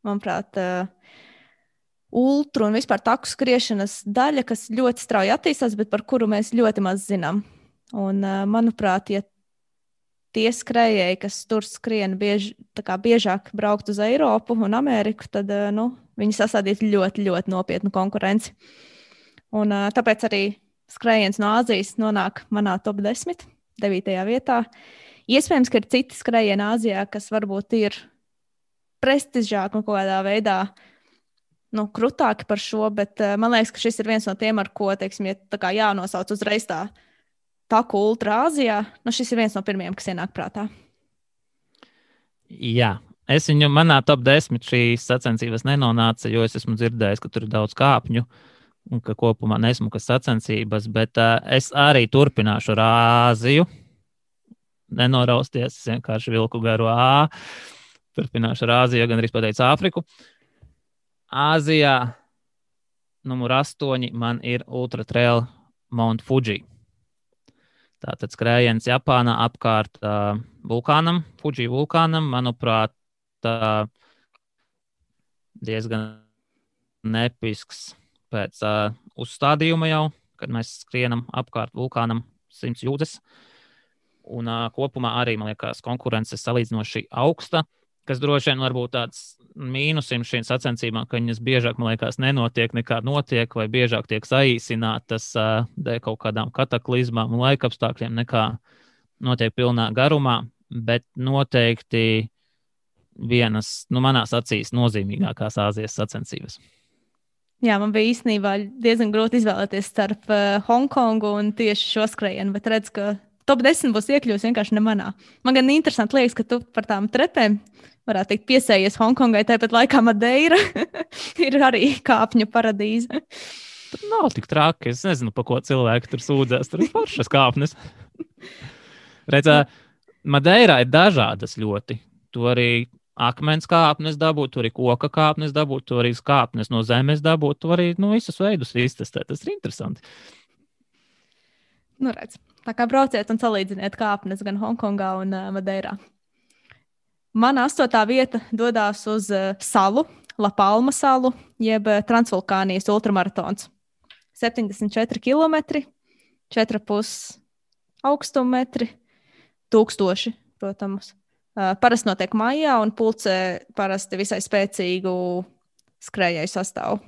manuprāt, ultru un vispār taku skriešanas daļa, kas ļoti strauji attīstās, bet par kuru mēs ļoti maz zinām. Un, manuprāt, ja tie skrējēji, kas tur skrien biežāk braukt uz Eiropu un Ameriku, tad viņi sasādītu ļoti, ļoti nopietnu konkurenci. Un tāpēc arī skrējiens no Āzijas nonāk manā top 10, 9. vietā. Iespējams, ka ir citi skrējieni Āzijā, kas varbūt ir prestižāki un kaut kādā veidā krutāki par šo, bet man liekas, ka šis ir viens no tiem, ar ko, teiksim, ja jānosauc uzreiz tā taku ultra Āzijā, šis ir viens no pirmiem, kas ienāk prātā. Jā, es viņu manā top 10 šīs sacensības nenonāca, jo es esmu dzirdējis, ka tur ir daudz kāpņu un ka kopumā nesmukas sacensības, bet es arī turpināšu ar Āziju. Nenorausties, es vienkārši vilku garu A. Turpināšu ar Āziju, gan arī pateicu Āfriku. Āzijā numur 8 man ir Ultra Trail Mount Fuji. Tātad skrējiens Japānā apkārt vulkānam, Fuji vulkānam, manuprāt, diezgan nepisks pēc uzstādījuma jau, kad mēs skrienam apkārt vulkānam 100 jūdzes. Un kopumā arī, man liekas, konkurence salīdzinoši augsta, kas droši vien varbūt tāds mīnusim šīm sacensībām, ka viņas biežāk, man liekas, nenotiek nekā notiek, vai biežāk tiek saīsinātas dēļ kaut kādām kataklizmām un laikapstākļiem, nekā notiek pilnā garumā, bet noteikti vienas, manās acīs, nozīmīgākās Āzijas sacensības. Jā, man bija īstenībā diezgan grūti izvēlēties starp Hongkongu un tieši šo skrējienu, bet redz, ka top 10 būs iekļūst vienkārši ne manā. Man gan interesanti liekas, ka tu par tām trepēm varētu teikt piesējies Hongkongai, tāpat laikā Madeira ir arī kāpņu paradīze. tur nav tik traki. Es nezinu, pa ko cilvēki tur sūdzēs. Tur ir foršas kāpnes. Redzē, Madeirā ir dažādas ļoti. Tu arī akmens kāpnes dabūt, tu arī koka kāpnes dabūt, tu arī kāpnes no zemes dabūt, tu arī visus veidus iztestēt. Tas ir interesanti. Nu, redz. Tā kā brauciet un salīdziniet kāpnes gan Hongkongā un Madeirā. Mana 8. vieta dodas uz salu, La Palma salu, jeb Transvulkānijas ultramaratons. 74 km, 4,5 augstummetri, 1000, protams. Parasti notiek maijā un pulcē parasti visai spēcīgu skrējēju sastāvu.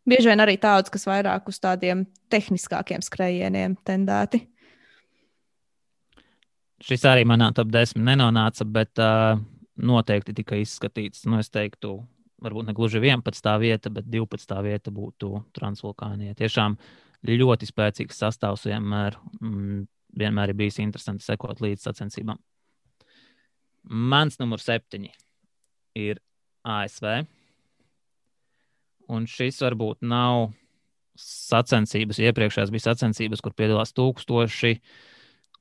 Bieži vien arī tāds, kas vairāk uz tādiem tehniskākiem skrējieniem tendēti. Šis arī manā top 10 nenonāca, bet noteikti tika izskatīts. Es teiktu, varbūt ne gluži 11. vieta, bet 12. vieta būtu Transvulkānija. Tiešām ļoti spēcīgs sastāvs vienmēr ir bijis interesanti sekot līdz sacensībām. Mans numur 7 ir ASV. Un šis varbūt nav sacensības. Iepriekšējās bija sacensības, kur piedalās 1000,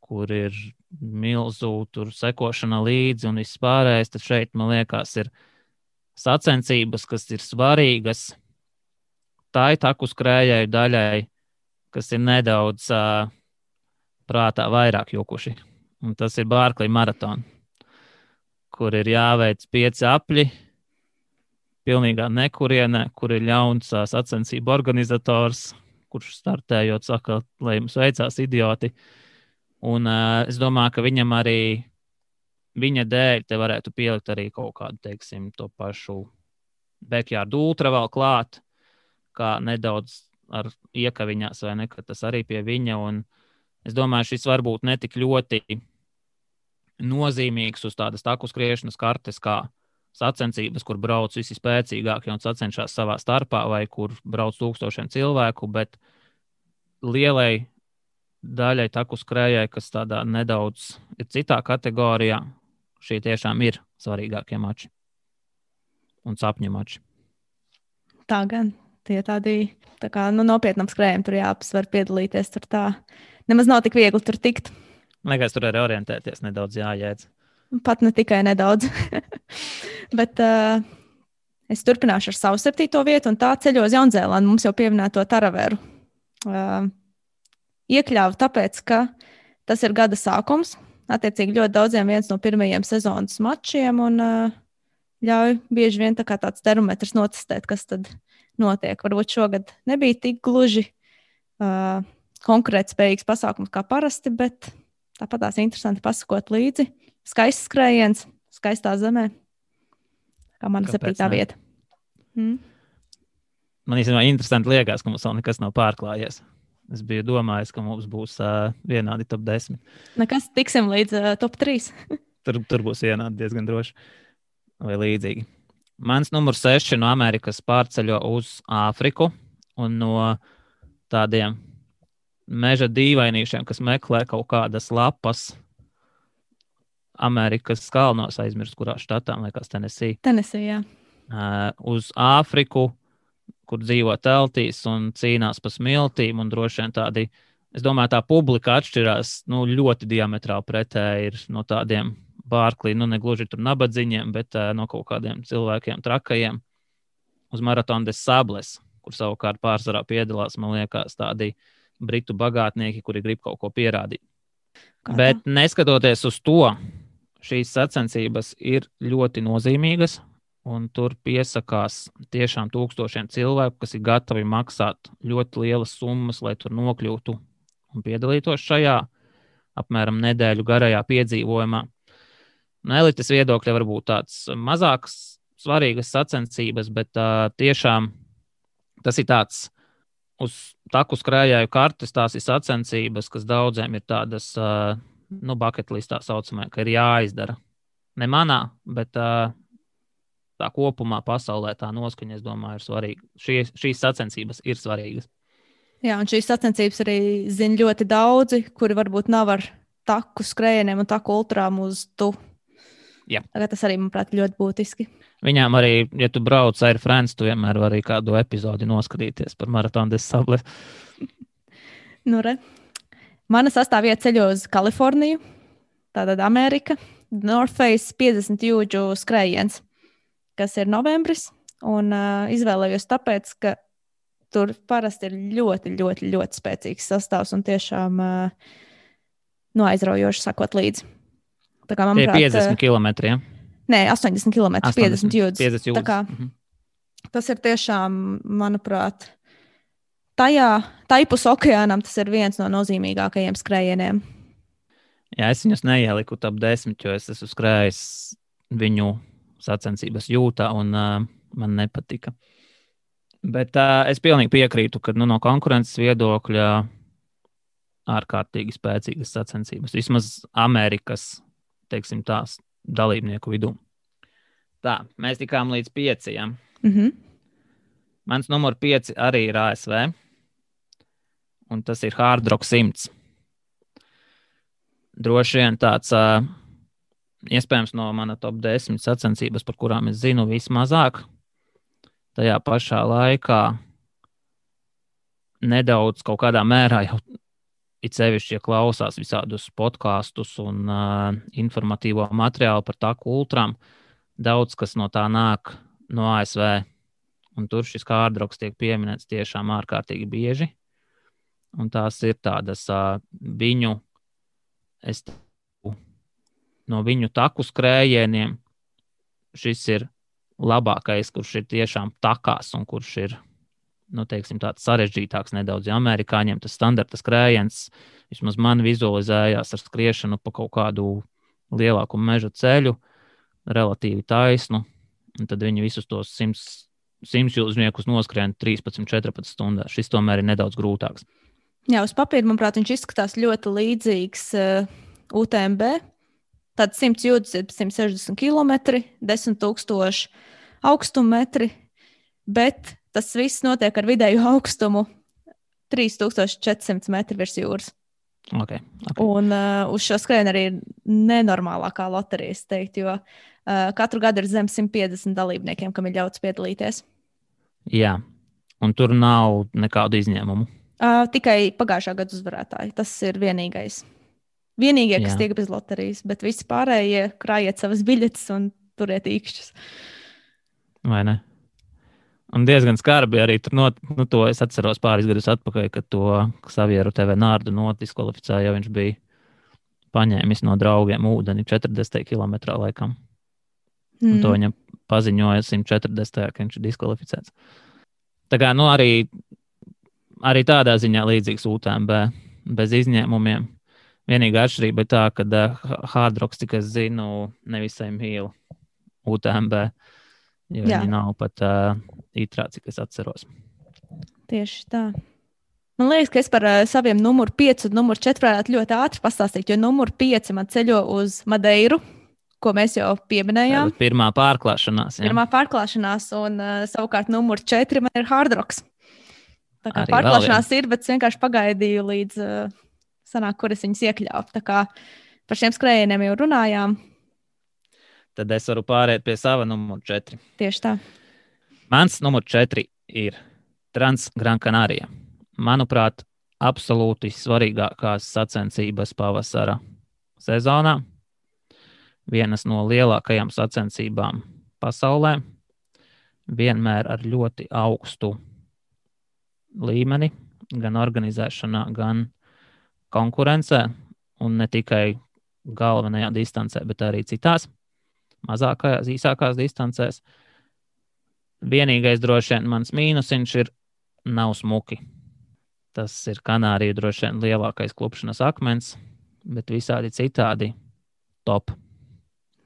kur ir milzu sekošana līdzi un viss pārējais. Tad šeit, man liekas, ir sacensības, kas ir svarīgas tai taku skrējēju daļai, kas ir nedaudz prātā vairāk jukuši. Un tas ir Barkley maratona, kur ir jāveic 5 apļi, pilnīgā nekurienē, kur ir ļauns sacensību organizators, kurš startējot saka, lai jums veicās idioti. Un es domāju, ka viņam arī viņa dēļ te varētu pielikt arī kaut kādu, teiksim, to pašu backyard ultra vēl klāt, kā nedaudz ar iekaviņās vai ne, ka tas arī pie viņa. Un es domāju, šis varbūt netik ļoti nozīmīgs uz tādas taku skriešanas kartes, kā sacensības, kur brauc visi spēcīgākie un sacenšās savā starpā, vai kur brauc 1000 cilvēku, bet lielai daļai taku skrējai, kas tādā nedaudz ir citā kategorijā, šie tiešām ir svarīgākie mači un sapņu mači. Tā gan, tie tādi tā kā, nopietnam skrējiem tur jāapsver piedalīties, tur tā nemaz nav tik viegli tur tikt. Liekas, tur arī orientēties nedaudz jājēdz. Pat ne tikai nedaudz. Bet es turpināšu ar savu 7. vietu, un tā ceļo uz Jaunzēlandu. Mums jau pieminēto Taraveru. Iekļāvu tāpēc, ka tas ir gada sākums. Attiecīgi ļoti daudziem viens no pirmajiem sezonas mačiem, un ļauj bieži vien tā kā tāds termometrs notestēt, kas tad notiek. Varbūt šogad nebija tik gluži konkurētspējīgs pasākums kā parasti, bet tāpat tās interesanti pasakot līdzi. Skaists skrējiens, skaistā zemē. Kā mana 7. vieta. Man īstenībā interesanti liekas, ka mums vēl nekas nav pārklājies. Es biju domājis, ka mums būs vienādi top 10. Nekas, tiksim līdz top 3. Tur būs vienādi diezgan droši. Vai līdzīgi. Mans numurs 6 no Amerikas pārceļo uz Āfriku un no tādiem meža dīvainīšiem, kas meklē kaut kādas lapas Amerikas kalnos, aizmirst, kurā štatā, liekas, Tennessee. Tennessee, jā. Uz Āfriku, kur dzīvo teltīs un cīnās pa smiltīm, un droši vien tādi, es domāju, tā publika atšķirās, ļoti diametrāli pretēji ir no tādiem Barkley, ne gluži tur nabadziņiem, bet no kaut kādiem cilvēkiem trakajiem uz Maratona des Sables, kur savukārt pārsvarā piedalās, man liekas, tādi britu bagātnieki, kuri grib kaut ko pierādīt. Bet neskatoties uz to, šīs sacensības ir ļoti nozīmīgas, un tur piesakās tiešām 1000 cilvēku, kas ir gatavi maksāt ļoti lielas summas, lai tur nokļūtu un piedalītos šajā apmēram nedēļu garajā piedzīvojumā. No elites viedokļa varbūt tāds mazāks svarīgas sacensības, bet tiešām tas ir tāds uz taku skrējēju kartes, tās ir sacensības, kas daudziem ir tādas bucket listā saucamā, ka ir jāizdara. Ne manā, bet tā kopumā pasaulē tā noskaņa, es domāju, ir svarīga. Šīs sacensības ir svarīgas. Jā, un šīs sacensības arī zina ļoti daudzi, kuri varbūt nav ar taku skrējieniem un taku ultrām uz tu. Jā. Tas arī, manuprāt, ļoti būtiski. Viņām arī, ja tu brauc ar Franci, tu vienmēr vari kādu epizodi noskatīties par Maratonu des Sables. Nu, re. Mana sastāvvieta ceļo uz Kaliforniju, tātad Amerika, North Face 50 jūdžu skrējiens, kas ir novembris. Un izvēlējos tāpēc, ka tur parasti ir ļoti, ļoti, ļoti spēcīgs sastāvs un tiešām aizraujoši sakot līdzi. Tā kā, manuprāt, 50 km. Ja? Nē, 80 km, 50 jūdzes. 50 jūdzes. Tā kā, tas ir tiešām, manuprāt, taipus okeānam tas ir viens no nozīmīgākajiem skrējieniem. Jā, es viņus neieliku top 10, jo es esmu skrējis viņu sacensības jūtā un man nepatika. Bet es pilnīgi piekrītu, ka no konkurences viedokļa ārkārtīgi spēcīgas sacensības. Vismaz Amerikas, teiksim tās, dalībnieku vidū. Tā, mēs tikām līdz 5. Mans numur 5 arī ir ASV, un tas ir Hard Rock 100. Droši vien tāds, iespējams, no mana top 10 sacensības, par kurām es zinu vismazāk. Tajā pašā laikā nedaudz kaut kādā mērā jau it sevišķi, ja klausās visādus podkastus un informatīvo materiālu par taku ultrām, daudz kas no tā nāk no ASV. Un tur šis Hard Rocks tiek pieminēts tiešām ārkārtīgi bieži. Un tās ir tādas no viņu taku skrējieniem. Šis ir labākais, kurš ir tiešām takās un kurš ir, teiksim, tāds sarežģītāks nedaudz. Ja amerikāņiem tas standarta skrējiens, vismaz man vizualizējās ar skriešanu pa kaut kādu lielāku meža ceļu, relatīvi taisnu, un tad viņi visus tos 100 jūdzniekus noskrien 13-14 stundās. Šis tomēr ir nedaudz grūtāks. Jā, uz papīra, manuprāt, viņš izskatās ļoti līdzīgs UTMB. Tad 100 jūdzes ir 160 km, 10,000 augstummetri, bet tas viss notiek ar vidēju augstumu 3400 metru virs jūras. Okay. Un uz šo skrējienu arī ir nenormālākā loterija, es teiktu, jo katru gadu ir zem 150 dalībniekiem, kam ir ļauts piedalīties. Jā, un tur nav nekādu izņēmumu. Tikai pagājušā gada uzvarētāji. Tas ir vienīgie, kas tiek bez loterijas, bet visi pārējie krājiet savas biļetes un turiet īkšķus. Vai ne? Un diezgan skarbi arī tur to es atceros pāris gadus atpakaļ, kad to Xavieru TV Nārdu notiskvalificēja, jo viņš bija paņēmis no draugiem ūdeni 40 km laikam. Un to viņam paziņoja 140, ka viņš ir diskvalificēts. Tā kā, arī tādā ziņā līdzīgs UTMB, bez izņēmumiem. Vienīgā atšķirība ir tā, ka Hard Rocks, cik es zinu, nevisai mīl UTMB, jo viņi nav pat itrā, cik es atceros. Tieši tā. Man liekas, ka es par saviem numuru 5 un numuru 4 varētu ļoti ātri pastāstīt, jo numuru 5 man ceļo uz Madeiru, ko mēs jau pieminējām. Tātad pirmā pārklāšanās. Jā. Pirmā pārklāšanās, un savukārt numuru 4 man ir Hard Rocks. Tā kā Arī pārklāšanās ir, bet es vienkārši pagaidīju līdz sanāk, kur es viņus iekļāvu. Tā kā par šiem skrējieniem jau runājām. Tad es varu pāriet pie sava numuru 4. Tieši tā. Mans numur 4 ir Trans Gran Canaria. Manuprāt, absolūti svarīgākās sacensības pavasara sezonā. Vienas no lielākajām sacensībām pasaulē. Vienmēr ar ļoti augstu līmeni, gan organizēšanā, gan konkurencē, un ne tikai galvenajā distancē, bet arī citās mazākajās, īsākās distancēs. Vienīgais droši vien mans mīnusiņš ir nav smuki. Tas ir Kanāriju droši vien lielākais klupšanas akmens, bet visādi citādi top.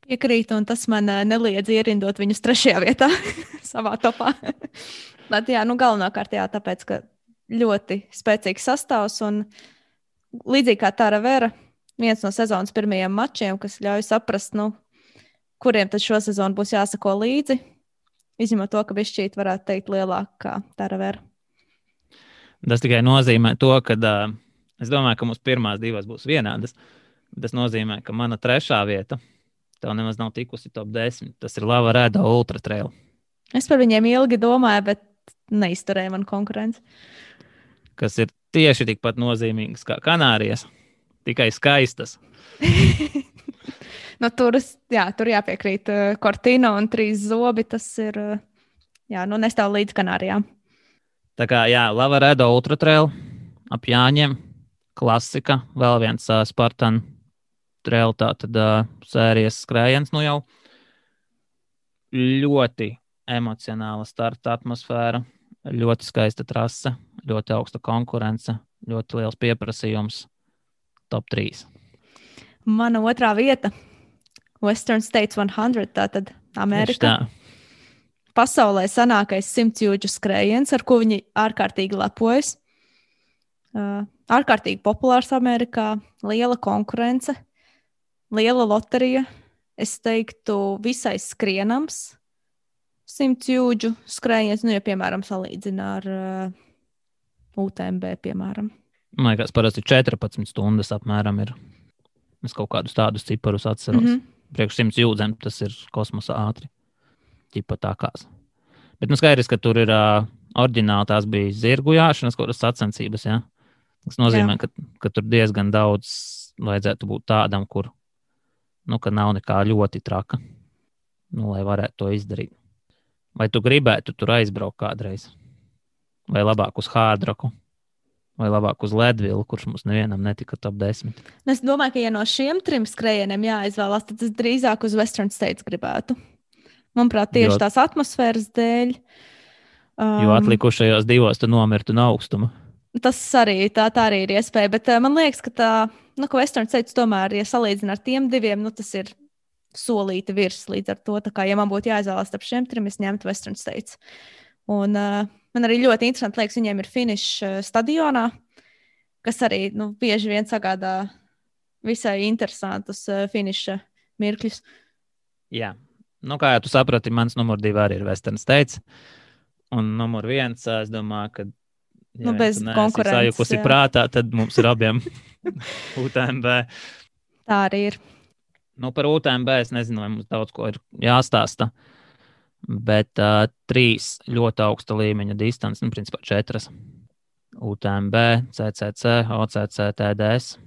Piekrītu, un tas man neliedz ierindot viņus 3. vietā savā topā. Bet jā, galvenokārt jā, tāpēc, ka ļoti spēcīgs sastāvs, un līdzīgi kā Tara Vera, viens no sezonas pirmajiem mačiem, kas ļauj saprast, kuriem tad šo sezonu būs jāsako līdzi, izņemot to, ka bišķīt varētu teikt lielāk kā Tara Vera. Tas tikai nozīmē to, ka es domāju, ka mums pirmās divas būs vienādas. Tas nozīmē, ka mana 3. vieta Tev nemaz nav tikusi top 10. Tas ir Lava Reda Ultra Trail. Es par viņiem ilgi domāju, bet neizturēju man konkurenci. Kas ir tieši tikpat nozīmīgas kā Kanārijas, tikai skaistas. Nu, tur jāpiekrīt. Cortina un 3 zobi, tas ir, nestāv līdz Kanārijām. Tā kā, Lava Reda Ultra Trail ap Jāņiem, klasika, vēl viens Spartan Trail, tātad sērijas skrējiens, nu jau ļoti emocionāla starta atmosfēra, ļoti skaista trase, ļoti augsta konkurence, ļoti liels pieprasījums, top 3. Mana otrā vieta – Western States 100, tātad Amerika. Pasaulē sanākais 100 jūdžu skrējiens, ar ko viņi ārkārtīgi lepojas. Ārkārtīgi populārs Amerikā, liela konkurence, liela loterija. Es teiktu, visai skrienams 100 jūdžu skrējiens, ja, piemēram, salīdzina ar UTMB, piemēram. Man liekas, parasti 14 stundas apmēram ir. Es kaut kādus tādus ciparus atceros. Priekš 100 jūdzēm tas ir kosmosa ātri. Ķipa tākās. Bet skaidrs, ka tur ir oriģināli tās bija zirgu jāšanas, kaut kādas sacensības, ja? Tas nozīmē, ka tur diezgan daudz vajadzētu būt tādam, kur, ka nav nekā ļoti traka, lai varētu to izdarīt. Vai tu gribētu tur aizbraukt kādreiz? Vai labāk uz Hārdraku? Vai labāk uz Ledvilu, kurš mums nevienam netika top 10? Es domāju, ka ja no šiem 3 skrējieniem jāizvēlās, tad es drīzāk uz Western States gribētu. Manuprāt, tieši tās atmosfēras dēļ. Jo atlikušajos 2 tu nomirtu no augstuma. Tas arī tā arī ir iespēja, bet man liekas, ka ka Western States tomēr, ja salīdzina ar tiem 2, tas ir solīti virs līdz ar to. Tā kā, ja man būtu jāizvēlās starp šiem 3, es ņemtu Western States. Un man arī ļoti interesanti liekas, viņiem ir finišs stadionā, kas arī bieži vien sagādā visai interesantus finiša mirkļus. Jā. Kā jau tu saprati, mans numur 2 arī ir Western States. Un numur 1, es domāju, ka bez konkurences. Sajukusi prātā, tad mums ir abiem UTMB. Tā arī ir. Par UTMB es nezinu, vai mums daudz ko ir jāstāsta. Bet 3 ļoti augsta līmeņa distances, principā 4. UTMB, CCC, OCC, TDS,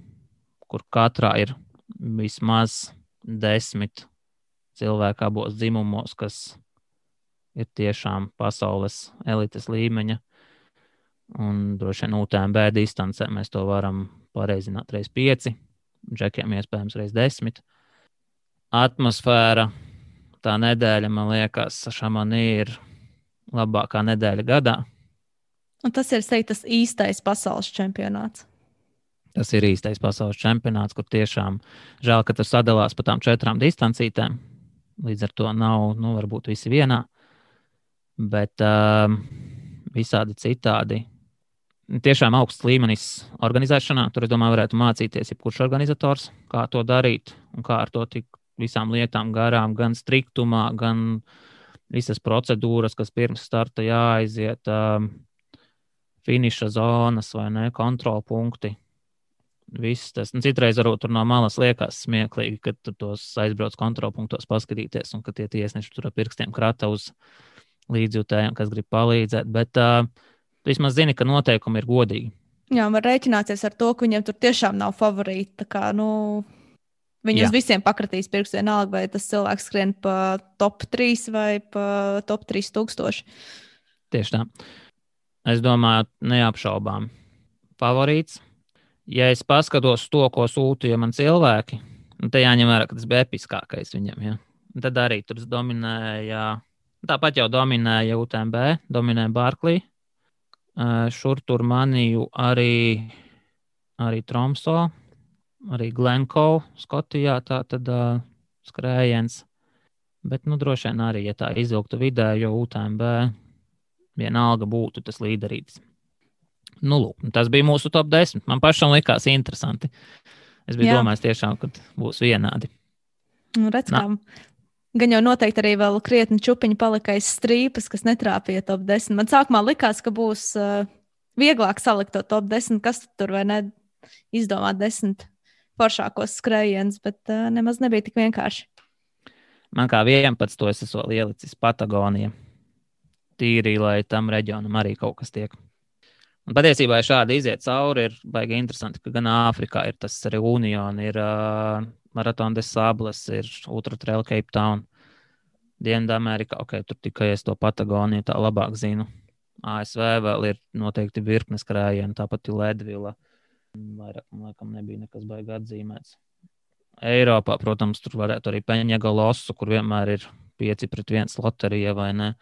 kur katrā ir vismaz 10 cilvēki abos dzimumos, kas ir tiešām pasaules elites līmeņa. Un droši vien UTMB distancē mēs to varam pareizināt reiz 5, džekiem iespējams reiz 10. Atmosfēra, tā nedēļa, man liekas, Šamanī ir labākā nedēļa gadā. Un tas ir, tas īstais pasaules čempionāts. Tas ir īstais pasaules čempionāts, kur tiešām žēl, ka tas sadalās pa tām 4 distancītēm. Līdz ar to nav, varbūt visi vienā, bet visādi citādi. Tiešām augsts līmenis organizēšanā. Tur, es domāju, varētu mācīties jebkurš organizators, kā to darīt un kā ar to tik visām lietām garām, gan striktumā, gan visas procedūras, kas pirms starta jāaiziet, finiša zonas vai ne, kontrolpunkti. Viss tas, citreiz varbūt tur no malas liekas smieklīgi, kad tu tos aizbrauc kontrolpunktos paskatīties un ka tie tiesneši tur ar pirkstiem krata uz līdzjūtējiem, kas grib palīdzēt, bet tu vismaz zini, ka noteikumi ir godīgi. Jā, var rēķināties ar to, ka viņiem tur tiešām nav favorīti, tā kā, viņi uz visiem pakratīs pirkstu vienalga, vai tas cilvēks skrien pa top 3 vai pa top 3000. Tieši tā. Es domāju, neapšaubām favorīts. Ja es paskatos to, ko sūtīja man cilvēki, te jāņem vērā, ka tas bija episkākais viņam. Ja? Tad arī tur dominēja, tāpat jau dominēja UTMB, dominēja Barkley. Šur tur manīju arī Tromso, arī Glencoe, Skotijā, tā tad skrējiens. Bet, droši vien arī, ja tā izvilktu vidējo UTMB, vienalga būtu tas līderītis. Lūk, tas bija mūsu top 10. Man pašam likās interesanti. Es biju domājis tiešām, ka būs vienādi. Redz, kā gan jau noteikti arī vēl krietni čupiņi palika aiz strīpas, kas netrāpīja top 10. Man sākumā likās, ka būs vieglāk salikt to top 10, kas tur vai ne izdomāt 10 foršākos skrējienus, bet nemaz nebija tik vienkārši. Man kā 11. es esmu ielicis Patagoniju. Tīri, lai tam reģionam arī kaut kas tiek. Un patiesībā, ja šādi iziet cauri, ir baigi interesanti, ka gan Āfrikā ir tas Reunion, ir Marathon des Sables, ir Ultra Trail Cape Town, Dienvidamerikā, tur tikai es to Patagoniju tā labāk zinu. ASV vēl ir noteikti virknes krājienu, tāpat ir Ledvila. Vairāk, laikam, nebija nekas baigi atzīmēts. Eiropā, protams, tur varētu arī Peņegalosu, kur vienmēr ir 5-1 loterija vai ne.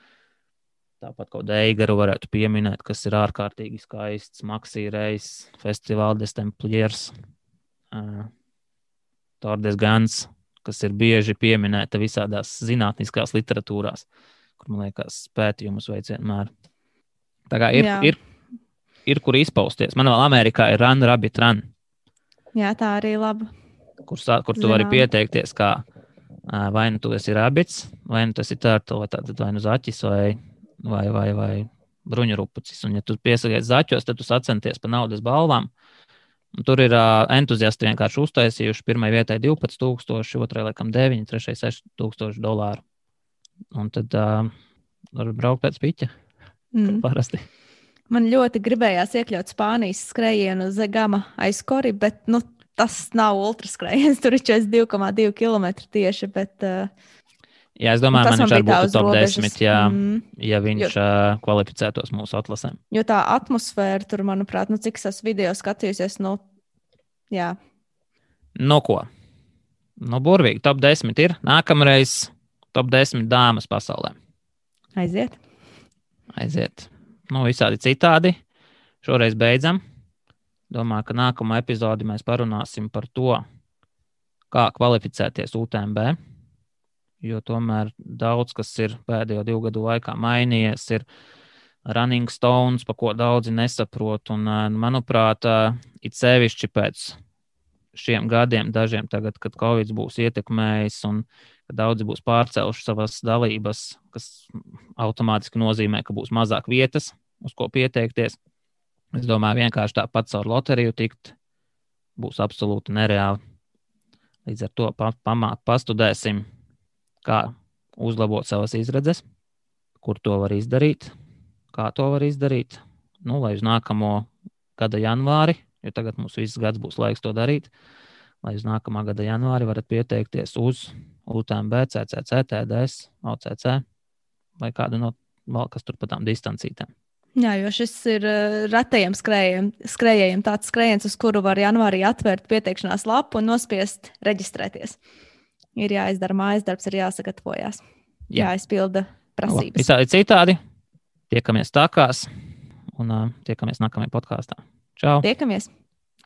Tāpat kaut Eigaru varētu pieminēt, kas ir ārkārtīgi skaists, Maxi Reis, Festival des Templiers, Tour des Gans, kas ir bieži pieminēta visādās zinātniskās literatūrās, kur, man liekas, pētījumus veic vienmēr. Tā kā ir kur izpausties. Man vēl Amerikā ir Run Rabbit Run. Jā, tā arī laba. Kur tu vari pieteikties, kā vai nu tu esi rabbits, vai nu tas ir turtle, vai nu zaķis, vai bruņurupucis. Un ja tu piesakies zaķos, tad tu sacenties pa naudas balvām. Un tur ir entuziasti vienkārši uztaisījuši. Pirmai vietai 12,000, otrai laikam 9, trešai $6,000. Un tad var braukt pēc piķa. Parasti. Man ļoti gribējās iekļaut Spānijas skrējienu uz Gama aizkori, bet tas nav ultraskrējiens. Tur ir 42,2 km tieši, bet... Jā, es domāju, man viņš arī būtu top 10, ja viņš kvalificētos mūsu atlasēm. Jo tā atmosfēra tur, manuprāt, cik es video skatījusies, jā. Nu ko? Burvīgi, top 10 ir. Nākamreiz top 10 dāmas pasaulē. Aiziet. Visādi citādi. Šoreiz beidzam. Domāju, ka nākamā epizodi mēs parunāsim par to, kā kvalificēties UTMB. Jo tomēr daudz, kas ir pēdējo 2 gadu laikā mainījies, ir running stones, pa ko daudzi nesaprot. Un, manuprāt, it sevišķi pēc šiem gadiem, dažiem tagad, kad Covid būs ietekmējis un kad daudzi būs pārcēluši savas dalības, kas automātiski nozīmē, ka būs mazāk vietas, uz ko pieteikties. Es domāju, vienkārši tāpat caur loteriju tikt būs absolūti nereāli. Līdz ar to pastudēsim, kā uzlabot savas izredzes, kur to var izdarīt, kā to var izdarīt. Lai uz nākamo gada janvāri, jo tagad mums viss gads būs laiks to darīt, lai uz nākamā gada janvāri varat pieteikties uz UTMB, CCC, TDS, OCC vai kādu no vēl kas tur pa tām distancītēm. Jā, jo šis ir retajiem skrējējiem tāds skrējiens, uz kuru var janvārī atvērt pieteikšanās lapu un nospiest reģistrēties. Ir jāizdara mājas darbs, ir jāsagatavojās. Jāizpilda prasības. Visādi citādi. Tiekamies tākās un tiekamies nākamajā podkāstā. Čau! Tiekamies!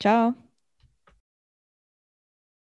Čau!